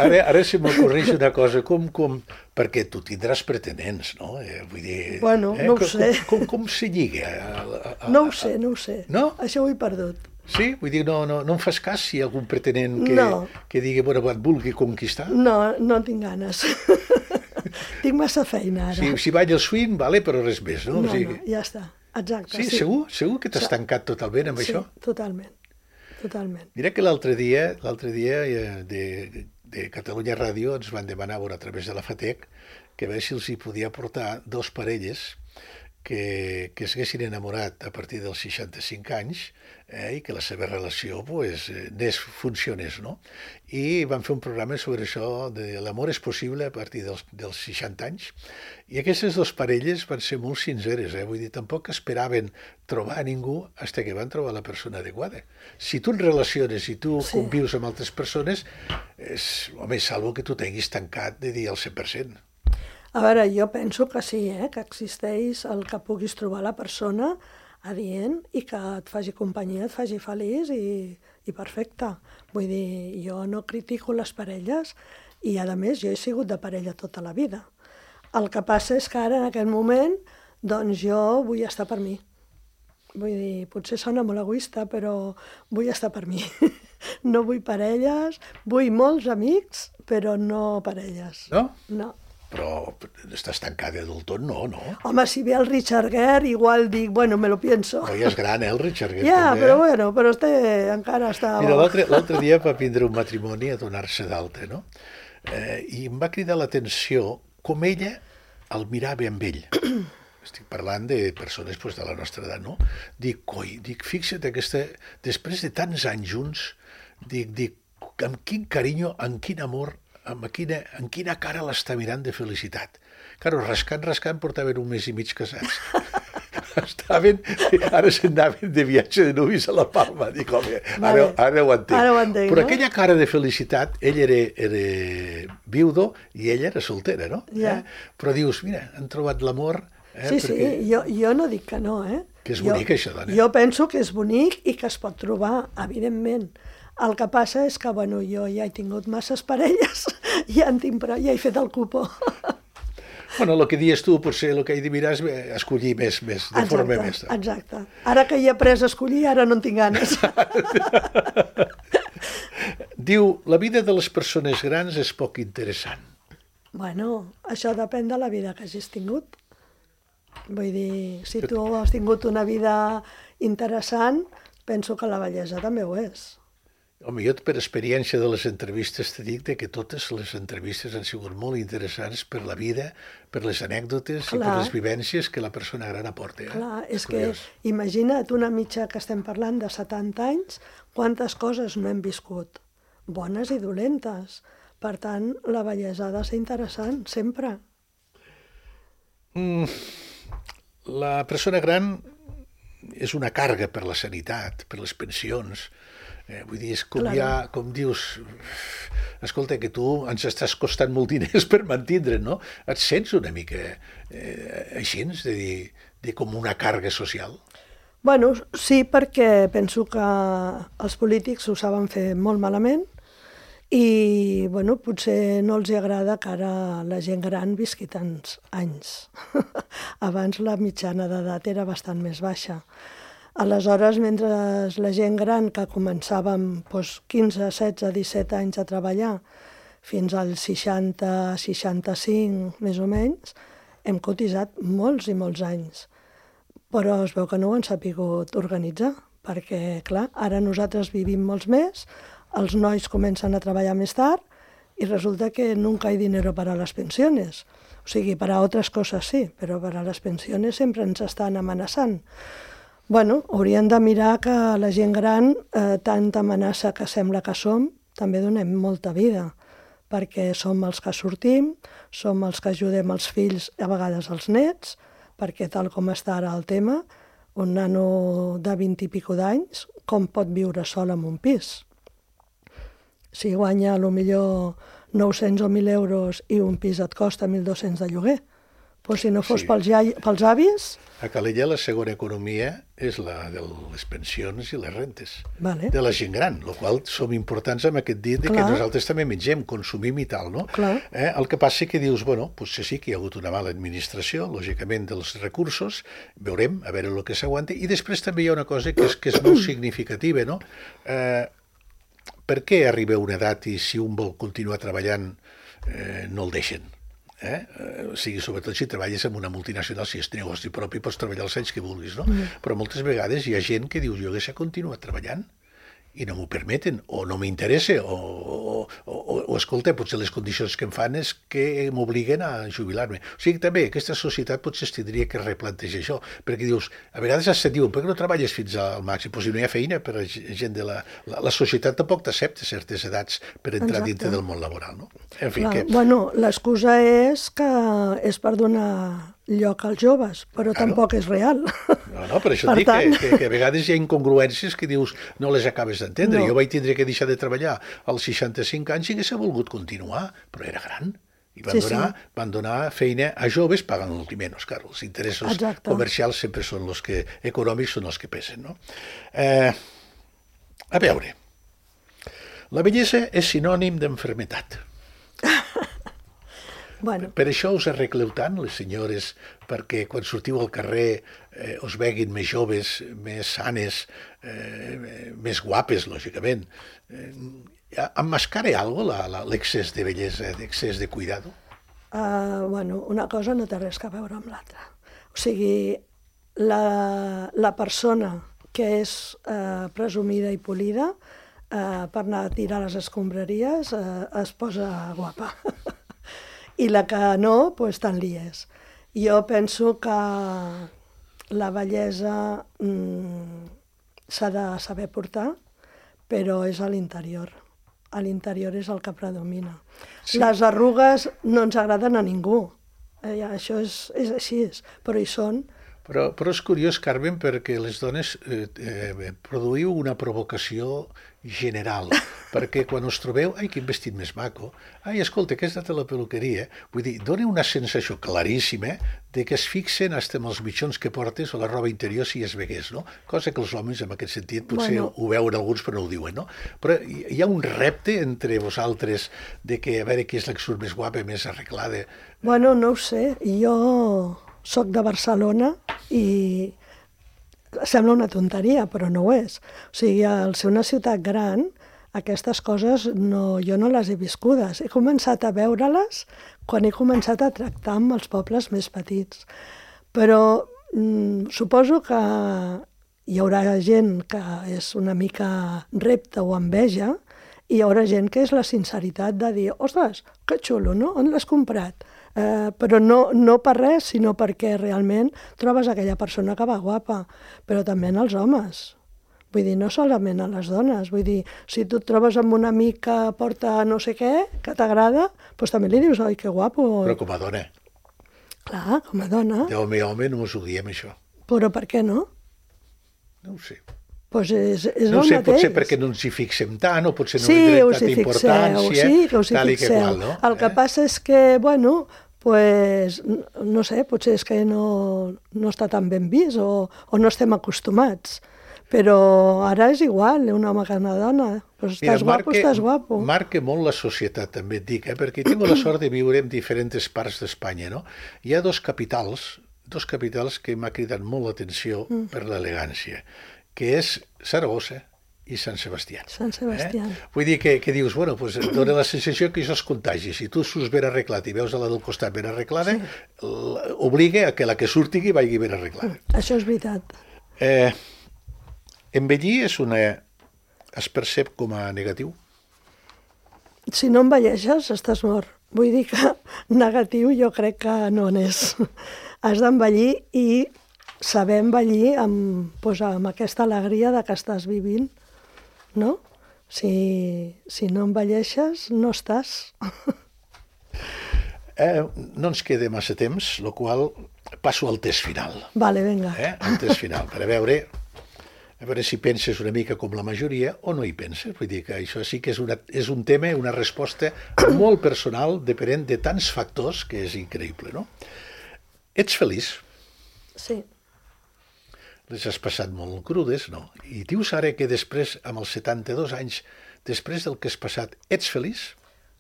ara, ara se m'ocorreix una cosa, com, com, perquè tu tindràs pretenents, no? Eh, vull dir,
bueno,
eh,
no ho
com,
sé.
Com, com, com se lliga? A, a, a,
no ho sé, no ho sé.
No?
Això ho he perdut.
Sí? Vull dir, no, no, no em fas cas si hi ha algun pretenent que,
no.
que digui, bueno, et vulgui conquistar?
No, no tinc ganes. Tinc massa feina ara.
Si, si vaig al swing, vale, però res més, no?
No,
o sigui...
no, ja està. Exacte.
Sí,
sí.
segur? Segur que t'has tancat totalment amb
sí,
això?
Sí, totalment. Totalment.
Mira que l'altre dia, l'altre dia de, de Catalunya Ràdio ens van demanar a través de la FATEC que a veure si els hi podia portar dos parelles que, que s'haguessin enamorat a partir dels seixanta-cinc anys eh, i que la seva relació pues, anés, funcionés, no? I van fer un programa sobre això de l'amor és possible a partir dels, dels seixanta anys. I aquestes dues parelles van ser molt sinceres, eh? Vull dir, tampoc esperaven trobar a ningú fins que van trobar la persona adequada. Si tu et relaciones i tu sí. convius amb altres persones, és, home, salvo que tu tinguis tancat de dir al cent per cent.
A veure, jo penso que sí, eh? Que existeix el que puguis trobar la persona adient i que et faci companyia, et faci feliç i, i perfecte. Vull dir, jo no critico les parelles i, a més, jo he sigut de parella tota la vida. El que passa és que ara, en aquest moment, doncs jo vull estar per mi. Vull dir, potser sona molt egoista, però vull estar per mi. No vull parelles, vull molts amics, però no parelles.
No?
No.
Però estàs tancada del tot, no, no?
Home, si ve el Richard Gere, igual dic, bueno, me lo pienso.
No, ja és gran, eh, el Richard Gere.
Ja,
també,
però
eh?
bueno, però este encara està...
Mira, l'altre dia va vindre un matrimoni a donar-se d'alta, no? Eh, I em va cridar l'atenció com ella el mirava amb ell. Estic parlant de persones pues, de la nostra edat, no? Dic, coi, dic, fixa't, aquesta... després de tants anys junts, dic, dic, amb quin carinyo, amb quin amor amb quina, en quina cara l'està mirant de felicitat. Claro, rascant, rascant, portaven un mes i mig casats. Estaven, ara se'n anaven de viatge de nuvis a la Palma. Dic, home, ara,
Vale.
ara ho entenc.
Ara ho entenc,
Però
no?
aquella cara de felicitat, ell era, era viudo i ella era soltera, no?
Ja.
Eh? Però dius, mira, han trobat l'amor. Eh?
Sí,
Perquè...
sí, jo, jo no dic que no, eh?
Que és
jo,
bonic, això, dona.
Jo penso que és bonic i que es pot trobar, evidentment. El que passa és que, bueno, jo ja he tingut masses parelles, ja en tinc prou, ja he fet el cupó.
Bueno, el que dius tu, potser el que he de mirar és escollir més, més de
Exacte,
forma més.
exacte. Ara que hi he après a escollir, ara no en tinc ganes.
Diu, la vida de les persones grans és poc interessant.
Bueno, això depèn de la vida que hagis tingut. Vull dir, si tu has tingut una vida interessant, penso que la bellesa també ho és.
Home, jo per experiència de les entrevistes te dic que totes les entrevistes han sigut molt interessants per la vida, per les anècdotes Clar. i per les vivències que la persona gran aporta. Eh?
Clar, és, és
curiós.
que imagina't una mitja que estem parlant de setanta anys, quantes coses no hem viscut, bones i dolentes. Per tant, la bellesa ha de ser interessant, sempre.
Mm, la persona gran és una càrrega per la sanitat, per les pensions. Eh, vull dir, és com,
Claro.
ja, com dius, escolta, que tu ens estàs costant molt diners per mantindre'n, no? Et sents una mica eh, així, de dir, de com una càrrega social?
Bueno, sí, perquè penso que els polítics ho saben fer molt malament i, bueno, potser no els agrada que ara la gent gran visqui tants anys. Abans la mitjana d'edat era bastant més baixa. Aleshores, mentre la gent gran que començàvem doncs, quinze, setze, disset anys a treballar fins als seixanta, seixanta-cinc, més o menys, hem cotitzat molts i molts anys. Però es veu que no ho han sapigut organitzar, perquè, clar, ara nosaltres vivim molts més, els nois comencen a treballar més tard i resulta que nunca hay dinero para las pensiones. O sigui, per a altres coses sí, però per a les pensiones sempre ens estan amenaçant. Bueno, hauríem de mirar que la gent gran, eh, tanta amenaça que sembla que som, també donem molta vida, perquè som els que sortim, som els que ajudem els fills, a vegades els nets, perquè tal com està ara el tema, un nano de vint i pico d'anys, com pot viure sol en un pis? Si guanya potser nou-cents o mil euros i un pis et costa mil dos-cents de lloguer, però si no fos
Sí.
pels, iai, pels avis...
A Calella la segona economia és la de les pensions i les rentes
Vale.
de la gent gran, el qual som importants amb aquest dit de que
Clar.
nosaltres també mengem, consumim i tal, no?
Clar.
Eh? El que passa que dius, bueno, potser sí que hi ha hagut una mala administració, lògicament, dels recursos, veurem, a veure el que s'aguanta, i després també hi ha una cosa que és, que és molt significativa, no? Eh, per què arriba una edat i si un vol continuar treballant eh, no el deixen? Eh? Eh, o sigui, sobretot si treballes en una multinacional, si és negoci propi, pots treballar els anys que vulguis, no? Mm. Però moltes vegades hi ha gent que diu, jo hauria continuat treballant i no m'ho permeten, o no m'interessa, o, o, o, o, escolta, potser les condicions que em fan és que m'obliguen a jubilar-me. O sigui, també aquesta societat potser es tindria que replantejar això, perquè dius, a vegades es diuen, per què no treballes fins al màxim? Pues si no hi ha feina per a gent de la... La, la societat tampoc t'accepta certes edats per entrar
Exacte.
dintre del món laboral, no? En fi,
Clar,
que...
bueno, l'excusa és que és per donar lloc als joves, però
Claro.
tampoc és real.
No, no, per això
Per
et dic
tant-
que, que, que a vegades hi ha incongruències que dius no les acabes d'entendre.
No.
Jo vaig tindre que deixar de treballar als seixanta-cinc anys i hagués volgut continuar, però era gran. I van,
Sí,
donar,
sí.
van donar feina a joves pagant l'últim menys, clar. Els interessos
Exacte.
comercials sempre són els que, econòmics són els que pesen, no? Eh, a veure, la bellesa és sinònim d'enfermetat.
Bueno,
Per això us arregleu tant, les senyores, perquè quan sortiu al carrer eh, us veguin més joves, més sanes, eh, més guapes, lògicament. Eh, emmascara algo la, la, l'excés de bellesa, l'excés de cuidado?
uh, bueno, una cosa no té res a veure amb l'altra. O sigui, la, la persona que és uh, presumida i polida, uh, per anar a tirar les escombraries, uh, es posa guapa. I la que no, doncs tant li és. Jo penso que la bellesa mm, s'ha de saber portar, però és a l'interior. a l'interior és el que predomina.
Sí.
Les arrugues no ens agraden a ningú, eh, això és, és així, però hi són.
Però, però és curiós, Carmen, perquè les dones eh, eh, produïu una provocació general, perquè quan us trobeu, ai, quin vestit més maco, ai, escolta, que has anat a la peluqueria, vull dir, dona una sensació claríssima de que es fixen hasta en els mitjons que portes o la roba interior si es vegués, no? Cosa que els homes, en aquest sentit, potser bueno. ho veuen alguns però no ho diuen, no? Però hi ha un repte entre vosaltres de que a veure qui és la que surt més guapa, més arreglada.
Bueno, no ho sé, jo soc de Barcelona i sembla una tonteria, però no ho és. O sigui, al ser una ciutat gran, aquestes coses no, jo no les he viscudes. He començat a veure-les quan he començat a tractar amb els pobles més petits. Però mm, suposo que hi haurà gent que és una mica repte o enveja i hi haurà gent que és la sinceritat de dir ostres, que xulo, no? On l'has comprat? Eh, però no, no per res, sinó perquè realment trobes aquella persona que va guapa, però també en els homes. Vull dir, no solament a les dones. Vull dir, si tu et trobes amb un amic que porta no sé què, que t'agrada, doncs també li dius, oi, que guapo.
Però com a dona.
Clar, com a dona.
D'home a home no us ho diem, això.
Però per què no?
No ho sé.
Pues és, és
no
el
sé,
mateix.
Potser perquè no ens hi fixem tant, o potser no
sí,
li donem
us
tanta
hi fixeu,
importància,
sí, que us hi
tal i que
fixeu.
qual, no?
El que
eh?
passa és que, bueno, pues, no sé, potser és que no, no està tan ben vist o, o no estem acostumats. Però ara és igual, un home que una dona. Pues estàs
Mira,
guapo, estàs guapo.
Marca molt la societat, també et dic, eh? Perquè tinc la sort de viure en diferents parts d'Espanya, no? Hi ha dos capitals, dos capitals que m'ha cridat molt l'atenció mm. per l'elegància, que és Saragossa i Sant Sebastià.
Sant Sebastià.
Eh? Vull dir que, que dius, bueno, pues, dona la sensació que això es contagi. Si tu surts ben arreglat i veus a la del costat ben arreglada, sí. obliga a que la que surti vagi ben arreglada.
Això és veritat.
Eh, envellir és una... es percep com a negatiu?
Si no envelleixes, estàs mort. Vull dir que negatiu jo crec que no n'és. Has d'envellir i saber envellir amb, doncs, amb aquesta alegria de que estàs vivint, no? Si, si no envelleixes, no estàs.
Eh, no ens queda massa temps, el qual passo al test final.
Vale, vinga.
Eh? El test final, per a veure, a veure si penses una mica com la majoria o no hi penses. Vull dir que això sí que és, una, és un tema, una resposta molt personal, depenent de tants factors, que és increïble, no? Ets feliç?
Sí.
Les has passat molt crudes, no? I dius ara que després, amb els setanta-dos anys, després del que has passat, ets feliç?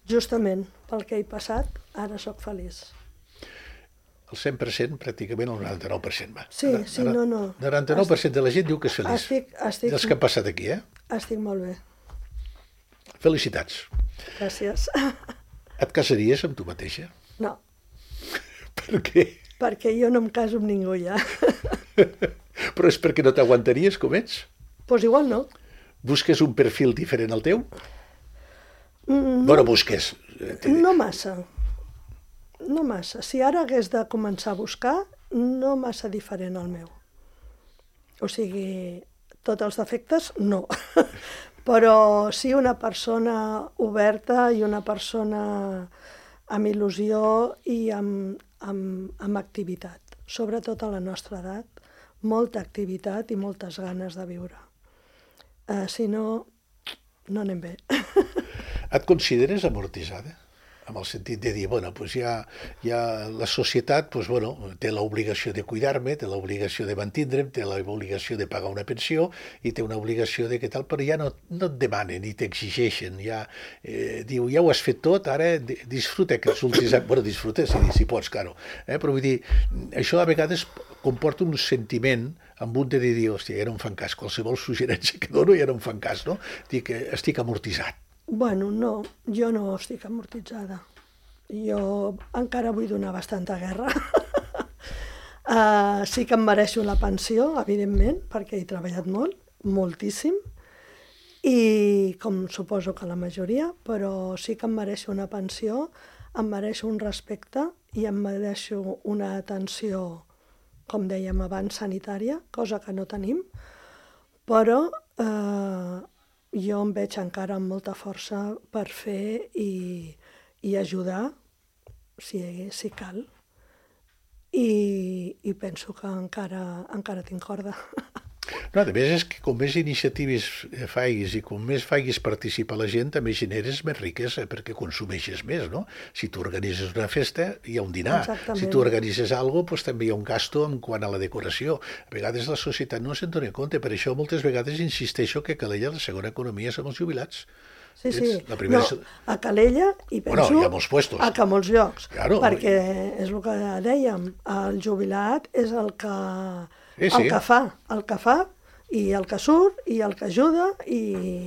Justament, pel que he passat, ara sóc feliç.
El cent per cent, pràcticament el noranta-nou per cent, va.
Sí, sí, no, no.
El noranta-nou per cent de la gent diu que és feliç.
Estic, estic...
Dels que han passat aquí, eh?
Estic molt bé.
Felicitats.
Gràcies.
Et casaries amb tu mateixa?
No.
Per què?
Perquè jo no em caso amb ningú ja.
Però és perquè no t'aguantaries com ets?
Doncs pues igual no.
Busques un perfil diferent al teu?
Mm, no.
Bueno, busques.
No massa. No massa. Si ara hagués de començar a buscar, no massa diferent al meu. O sigui, tots els defectes, no. Però sí una persona oberta i una persona amb il·lusió i amb, amb, amb activitat. Sobretot a la nostra edat, molta activitat i moltes ganes de viure. Uh, si no, no anem bé.
Et consideres amortitzada? En el sentit de dir, bueno, pues ja, ja la societat pues, bueno, té l'obligació de cuidar-me, té l'obligació de mantindre'm, té l'obligació de pagar una pensió i té una obligació de què tal, però ja no, no et demanen ni t'exigeixen. Ja, eh, diu, ja ho has fet tot, ara disfruta aquests últims anys. Bueno, disfruta si, si pots, claro. Eh? Però vull dir, això a vegades comporta un sentiment amb un de dir, hòstia, ja no em fan cas, qualsevol suggerència que dono ja no em fan cas, no? Dic que estic amortitzat.
Bueno, no, jo no estic amortitzada. Jo encara vull donar bastanta guerra. uh, sí que em mereixo la pensió, evidentment, perquè he treballat molt, moltíssim, i com suposo que la majoria, però sí que em mereixo una pensió, em mereixo un respecte i em mereixo una atenció, com dèiem abans, sanitària, cosa que no tenim, però... Uh, jo em veig encara amb molta força per fer i, i ajudar, si, si cal. I, i penso que encara, encara tinc corda.
No, a més és que com més iniciatives faiguis i com més faiguis participar la gent, també generes més riquesa perquè consumeixes més, no? Si tu organitzes una festa, hi ha un dinar.
Exactament.
Si tu organitzes alguna cosa, doncs també hi ha un gasto en quant a la decoració. A vegades la societat no se'n dona compte, per això moltes vegades insisteixo que a Calella la segona economia són els jubilats.
Sí, sí.
La primera...
No, a Calella i penso
bueno, hi ha molts puestos.
a que molts llocs.
Claro.
Perquè és el que dèiem, el jubilat és el que,
sí, sí.
el que fa, el que fa i el que surt, i el que ajuda, i,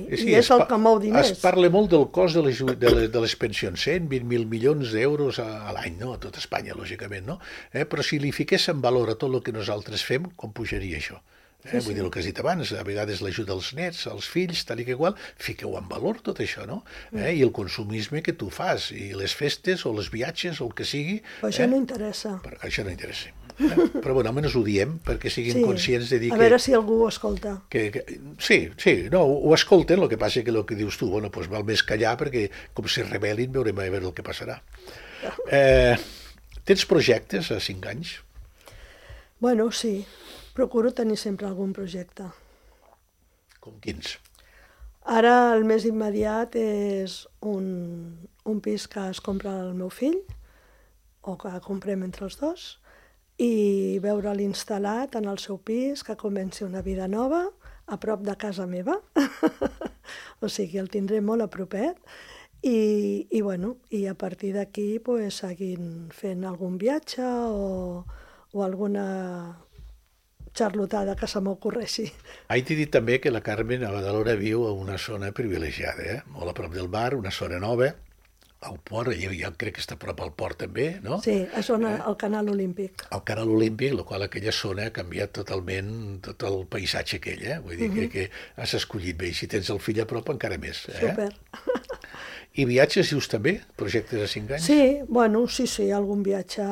sí, i és el que mou diners.
Es parla molt del cost de les, de les, de les pensions, cent vint mil milions d'euros a, a l'any, no? A tot Espanya, lògicament, no? Eh? Però si li fiquéssim valor a tot el que nosaltres fem, com pujaria això? Eh? Sí, Vull sí. dir el que has dit abans, a vegades l'ajuda als nets, als fills, tal i que igual, fiqueu en valor tot això, no? Eh? I el consumisme que tu fas, i les festes, o els viatges, o el que sigui...
Però això
eh?
no interessa.
Però això no interessa. Eh? Però bueno, almenys ho diem perquè siguin
sí.
conscients de dir
que...
que...
A veure si algú ho escolta.
Que, que, sí, sí, no, ho escolten, el que passa que el que dius tu, bueno, doncs val més callar perquè com si rebel·lin veurem a veure el que passarà. Eh, tens projectes a cinc anys?
Bueno, sí. Procuro tenir sempre algun projecte.
Com quins?
Ara el més immediat és un, un pis que es compra el meu fill, o que comprem entre els dos, i veure'l instal·lat en el seu pis, que comenci una vida nova, a prop de casa meva. O sigui, el tindré molt a propet. I, i, bueno, i a partir d'aquí pues, seguint fent algun viatge o, o alguna xarlotada que se m'ocorreixi.
Ahir t'he dit també que la Carmen a Badalona viu a una zona privilegiada, eh? Molt a prop del mar, una zona nova, al port, jo, jo crec que està a prop al port també, no?
Sí, a zona, eh? al Canal Olímpic.
Al Canal Olímpic, la qual aquella zona ha canviat totalment tot el paisatge aquell, eh? Vull dir uh -huh. que, que has escollit bé, i si tens el fill a prop encara més. Eh?
Super.
I viatges, dius també? Projectes de cinc anys?
Sí, bueno, sí, sí, algun viatge...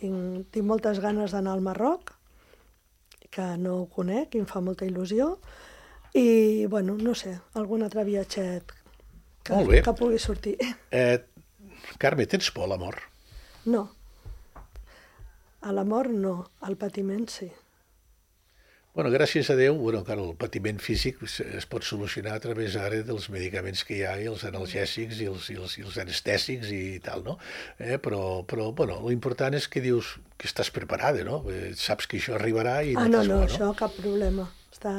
Tinc, tinc moltes ganes d'anar al Marroc, que no ho conec i em fa molta il·lusió, i, bueno, no sé, algun altre viatget que, que pugui sortir.
Eh, Carme, tens por a la mort?
No. A la mort no, al patiment sí.
Bueno, gràcies a Déu, bueno, clar, el patiment físic es pot solucionar a través ara dels medicaments que hi ha, i els analgèsics i els, i els, i els anestèsics i tal, no? Eh, però, però, bueno, l'important és que dius que estàs preparada, no? Eh, saps que això arribarà i...
Ah, no, no, no, això cap problema. Està,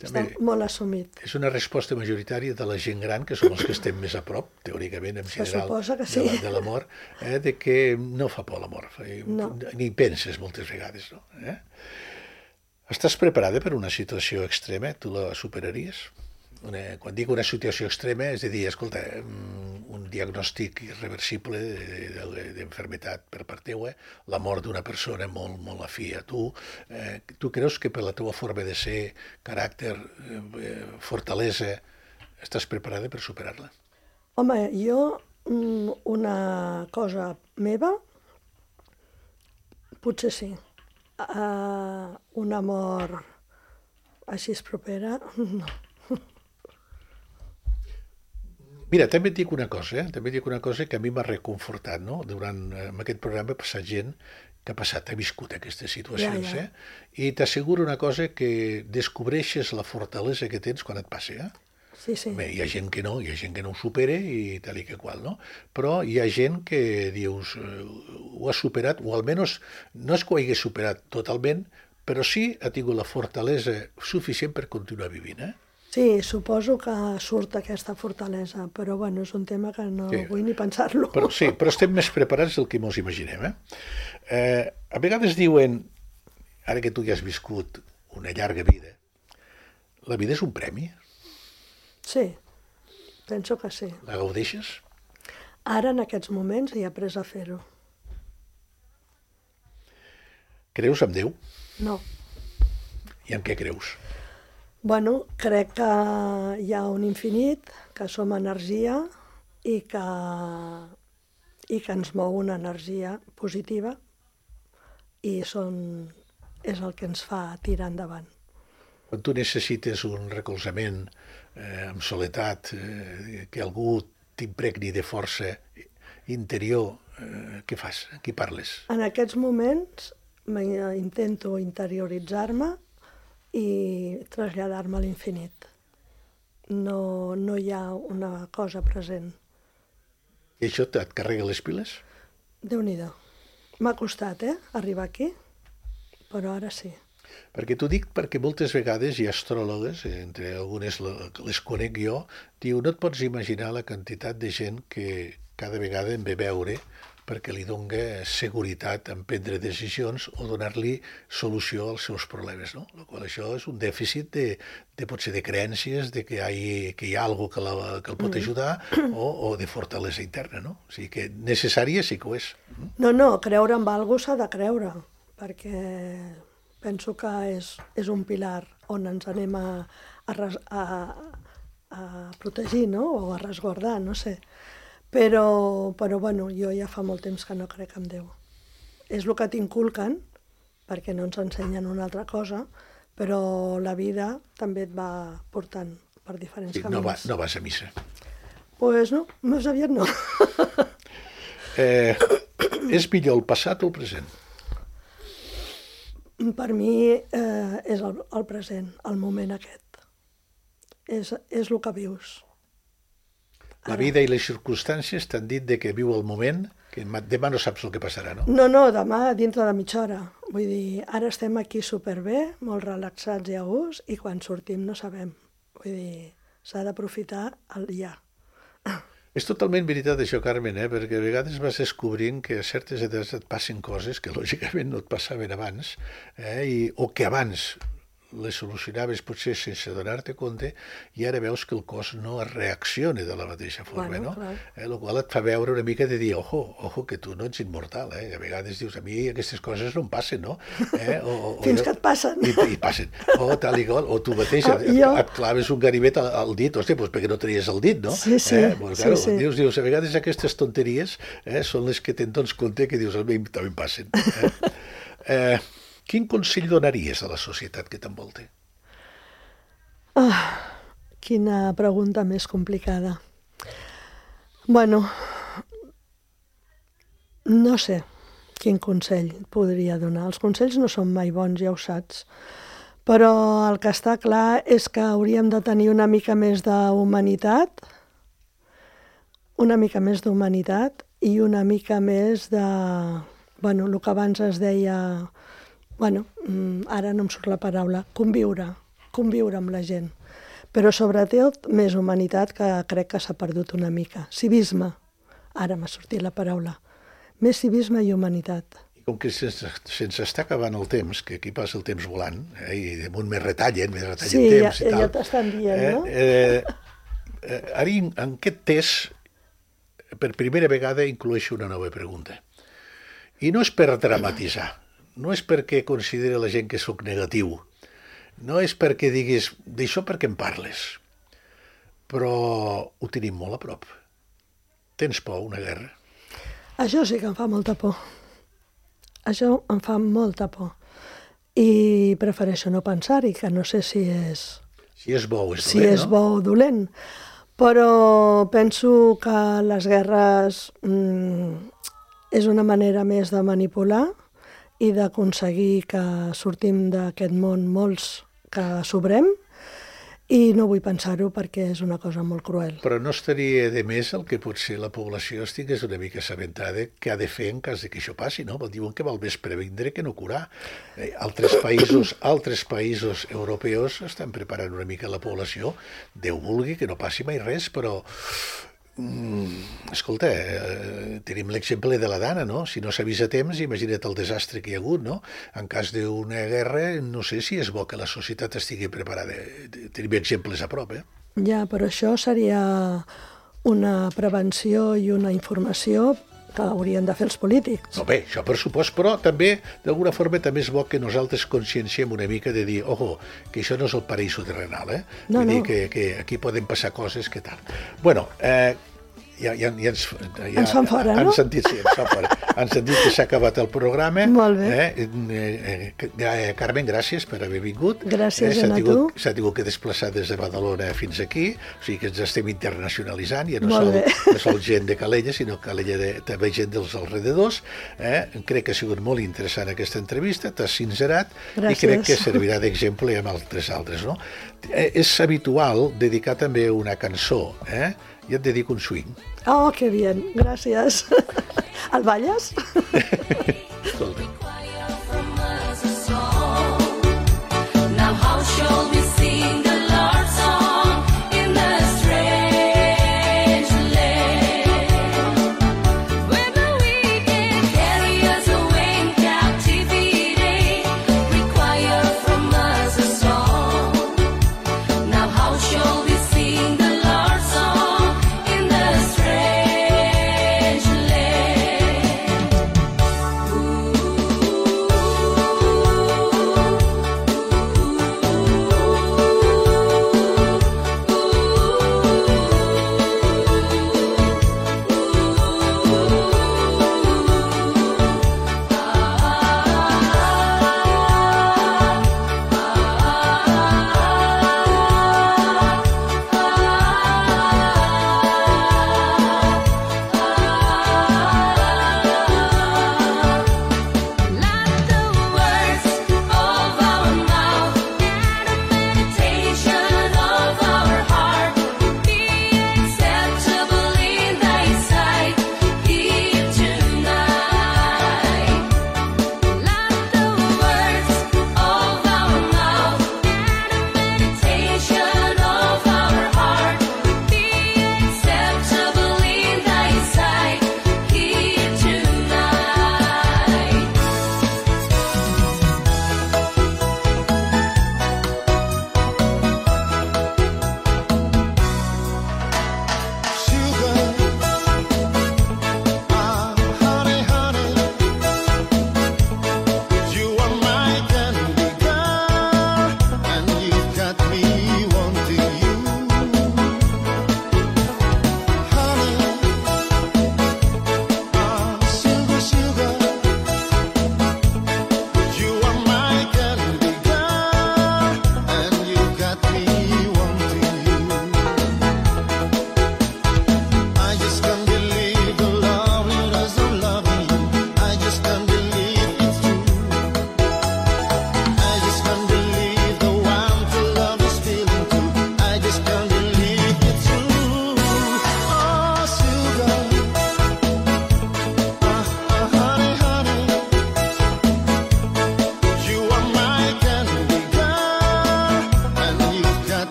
està molt assumit.
És una resposta majoritària de la gent gran, que som els que estem més a prop, teòricament, en general,
que sí.
de, la, de la mort, eh, de que no fa por la mort.
No.
Ni penses moltes vegades, no? Eh? Estàs preparada per una situació extrema? Tu la superaries? Una, quan dic una situació extrema, és a dir, escolta, un diagnòstic irreversible d'enfermetat per part teua, la mort d'una persona molt, molt afí a tu. Eh, tu creus que per la teva forma de ser, caràcter, eh, fortalesa, estàs preparada per superar-la?
Home, jo una cosa meva, potser sí. Uh, un amor així es propera, no.
Mira, també et dic una cosa, eh? també et dic una cosa que a mi m'ha reconfortat, no? Durant en aquest programa ha passat gent que ha passat, ha viscut aquestes situacions, ja, ja. eh? I t'asseguro una cosa, que descobreixes la fortalesa que tens quan et passa, eh?
Sí, sí.
Bé, hi ha gent que no, hi ha gent que no ho supera i tal i que qual, no? Però hi ha gent que dius, eh, ho ha superat, o almenys no és que ho hagués superat totalment, però sí ha tingut la fortalesa suficient per continuar vivint, eh?
Sí, suposo que surt aquesta fortalesa, però bueno, és un tema que no sí. vull ni pensar-lo.
Però, sí, però estem més preparats del que ens imaginem, eh? eh? A vegades diuen, ara que tu ja has viscut una llarga vida, la vida és un premi?
Sí, penso que sí.
La gaudeixes?
Ara, en aquests moments, he après a fer-ho.
Creus en Déu?
No.
I en què creus?
Bueno, crec que hi ha un infinit, que som energia i que, i que ens mou una energia positiva i són, és el que ens fa tirar endavant.
Quan tu necessites un recolzament eh, amb soledat, eh, que algú t'impregni de força interior, eh, què fas? A qui parles?
En aquests moments intento interioritzar-me i traslladar-me a l'infinit. No, no hi ha una cosa present.
I això et carrega les piles?
Déu-n'hi-do. M'ha costat, eh, arribar aquí, però ara sí.
Perquè t'ho dic perquè moltes vegades hi ha astròlogues, entre algunes les conec jo, diu, no et pots imaginar la quantitat de gent que cada vegada em ve veure perquè li dona seguretat en prendre decisions o donar-li solució als seus problemes, no? La qual això és un dèficit de, de potser de creences, de que hi ha, que hi ha alguna que, la, que el pot ajudar o, o de fortalesa interna, no? O sigui que necessària sí que ho és.
No, no, creure en algú s'ha de creure, perquè penso que és, és un pilar on ens anem a, a, a, a protegir, no? O a resguardar, no sé. Però, però bueno, jo ja fa molt temps que no crec en Déu. És el que t'inculquen, perquè no ens ensenyen una altra cosa, però la vida també et va portant per diferents
Sí,
camins.
no, va, no vas a missa.
Pues no, més aviat no.
Eh, és millor el passat o el present?
Per mi eh, és el, el present, el moment aquest. És, és el que vius.
La vida i les circumstàncies t'han dit de que viu el moment, que demà no saps el que passarà, no?
No, no, demà dintre de mitja hora. Vull dir, ara estem aquí superbé, molt relaxats i a gust, i quan sortim no sabem. Vull dir, s'ha d'aprofitar el ja.
És totalment veritat això, Carmen, eh? Perquè a vegades vas descobrint que a certes edats et passen coses que lògicament no et passaven abans, eh? I, o que abans les solucionaves potser sense donar-te compte i ara veus que el cos no reacciona de la mateixa forma,
Bueno,
no?
clar.
Eh, el qual et fa veure una mica de dir, ojo, ojo, que tu no ets immortal, eh? A vegades dius, a mi aquestes coses no em passen, no? Eh? O, o,
Fins
o,
que et passen.
I, i passen. O tal i qual, o tu mateix
Ah,
et,
jo-
et claves un ganivet al, al dit, hòstia, doncs perquè no tenies el dit, no?
Sí, sí,
Eh? Pues, claro,
sí, sí.
Dius, dius, a vegades aquestes tonteries eh, són les que te'n dones compte que dius, a mi també em passen. Eh? Eh, quin consell donaries a la societat que t'envolta?
Ah, quina pregunta més complicada. Bueno, no sé quin consell podria donar. Els consells no són mai bons, ja ho saps. Però el que està clar és que hauríem de tenir una mica més d'humanitat, una mica més d'humanitat i una mica més de... Bueno, el que abans es deia... Bueno, ara no em surt la paraula. Conviure. Conviure amb la gent. Però sobretot més humanitat, que crec que s'ha perdut una mica. Civisme. Ara m'ha sortit la paraula. Més civisme i humanitat.
I com que sense, sense està acabant el temps, que aquí passa el temps volant, eh, i damunt més retallen, més retallen
Sí, ja,
temps i tal.
ja t'estan dient,
eh,
no?
Eh, eh, ara, en aquest test, per primera vegada, incloeixo una nova pregunta. I no és per dramatitzar, no és perquè consideri la gent que sóc negatiu, no és perquè diguis, d'això perquè em parles, però ho tenim molt a prop. Tens por a una guerra?
Això sí que em fa molta por. Això em fa molta por. I prefereixo no pensar-hi, que no sé si és,
Si és bo o és
si
dolent,
és
no?
bo o dolent. Però penso que les guerres mm, és una manera més de manipular i d'aconseguir que sortim d'aquest món molts que sobrem, i no vull pensar-ho perquè és una cosa molt cruel.
Però no estaria de més el que potser la població estigués una mica assabentada què ha de fer en cas de que això passi, no? Diuen que val més previndre que no curar. Eh, altres països, altres països europeus estan preparant una mica la població. Déu vulgui que no passi mai res, però... Mm, escolta, eh, tenim l'exemple de la Dana, no? Si no s'avisa a temps, imagina't el desastre que hi ha hagut, no? En cas d'una guerra, no sé si és bo que la societat estigui preparada. Tenim exemples a prop, eh?
Ja, però això seria una prevenció i una informació que haurien de fer els polítics.
No, bé, això per supost, però també, d'alguna forma, també és bo que nosaltres conscienciem una mica de dir, ojo, que això no és el paraíso terrenal, eh?
No,
Vull dir
no.
que, que aquí poden passar coses que tal. Bueno, eh, ja, ja, ja ens, ja,
ens fan fora,
han
no?
sentit, sí, ens fan fora. Han sentit que s'ha acabat el programa.
Molt bé.
Eh? Eh, eh, Carmen, gràcies per haver vingut.
Gràcies
eh,
a tu.
S'ha tingut que desplaçar des de Badalona fins aquí, o sigui que ens estem internacionalitzant, ja no
Molt
sol,
bé.
no sol gent de Calella, sinó Calella de, també gent dels alrededors. Eh? Crec que ha sigut molt interessant aquesta entrevista, t'has sincerat,
Gràcies.
i crec que servirà d'exemple amb altres altres. No? Eh, és habitual dedicar també una cançó, eh? I et dedico un swing.
Oh, que bien, gràcies. El balles?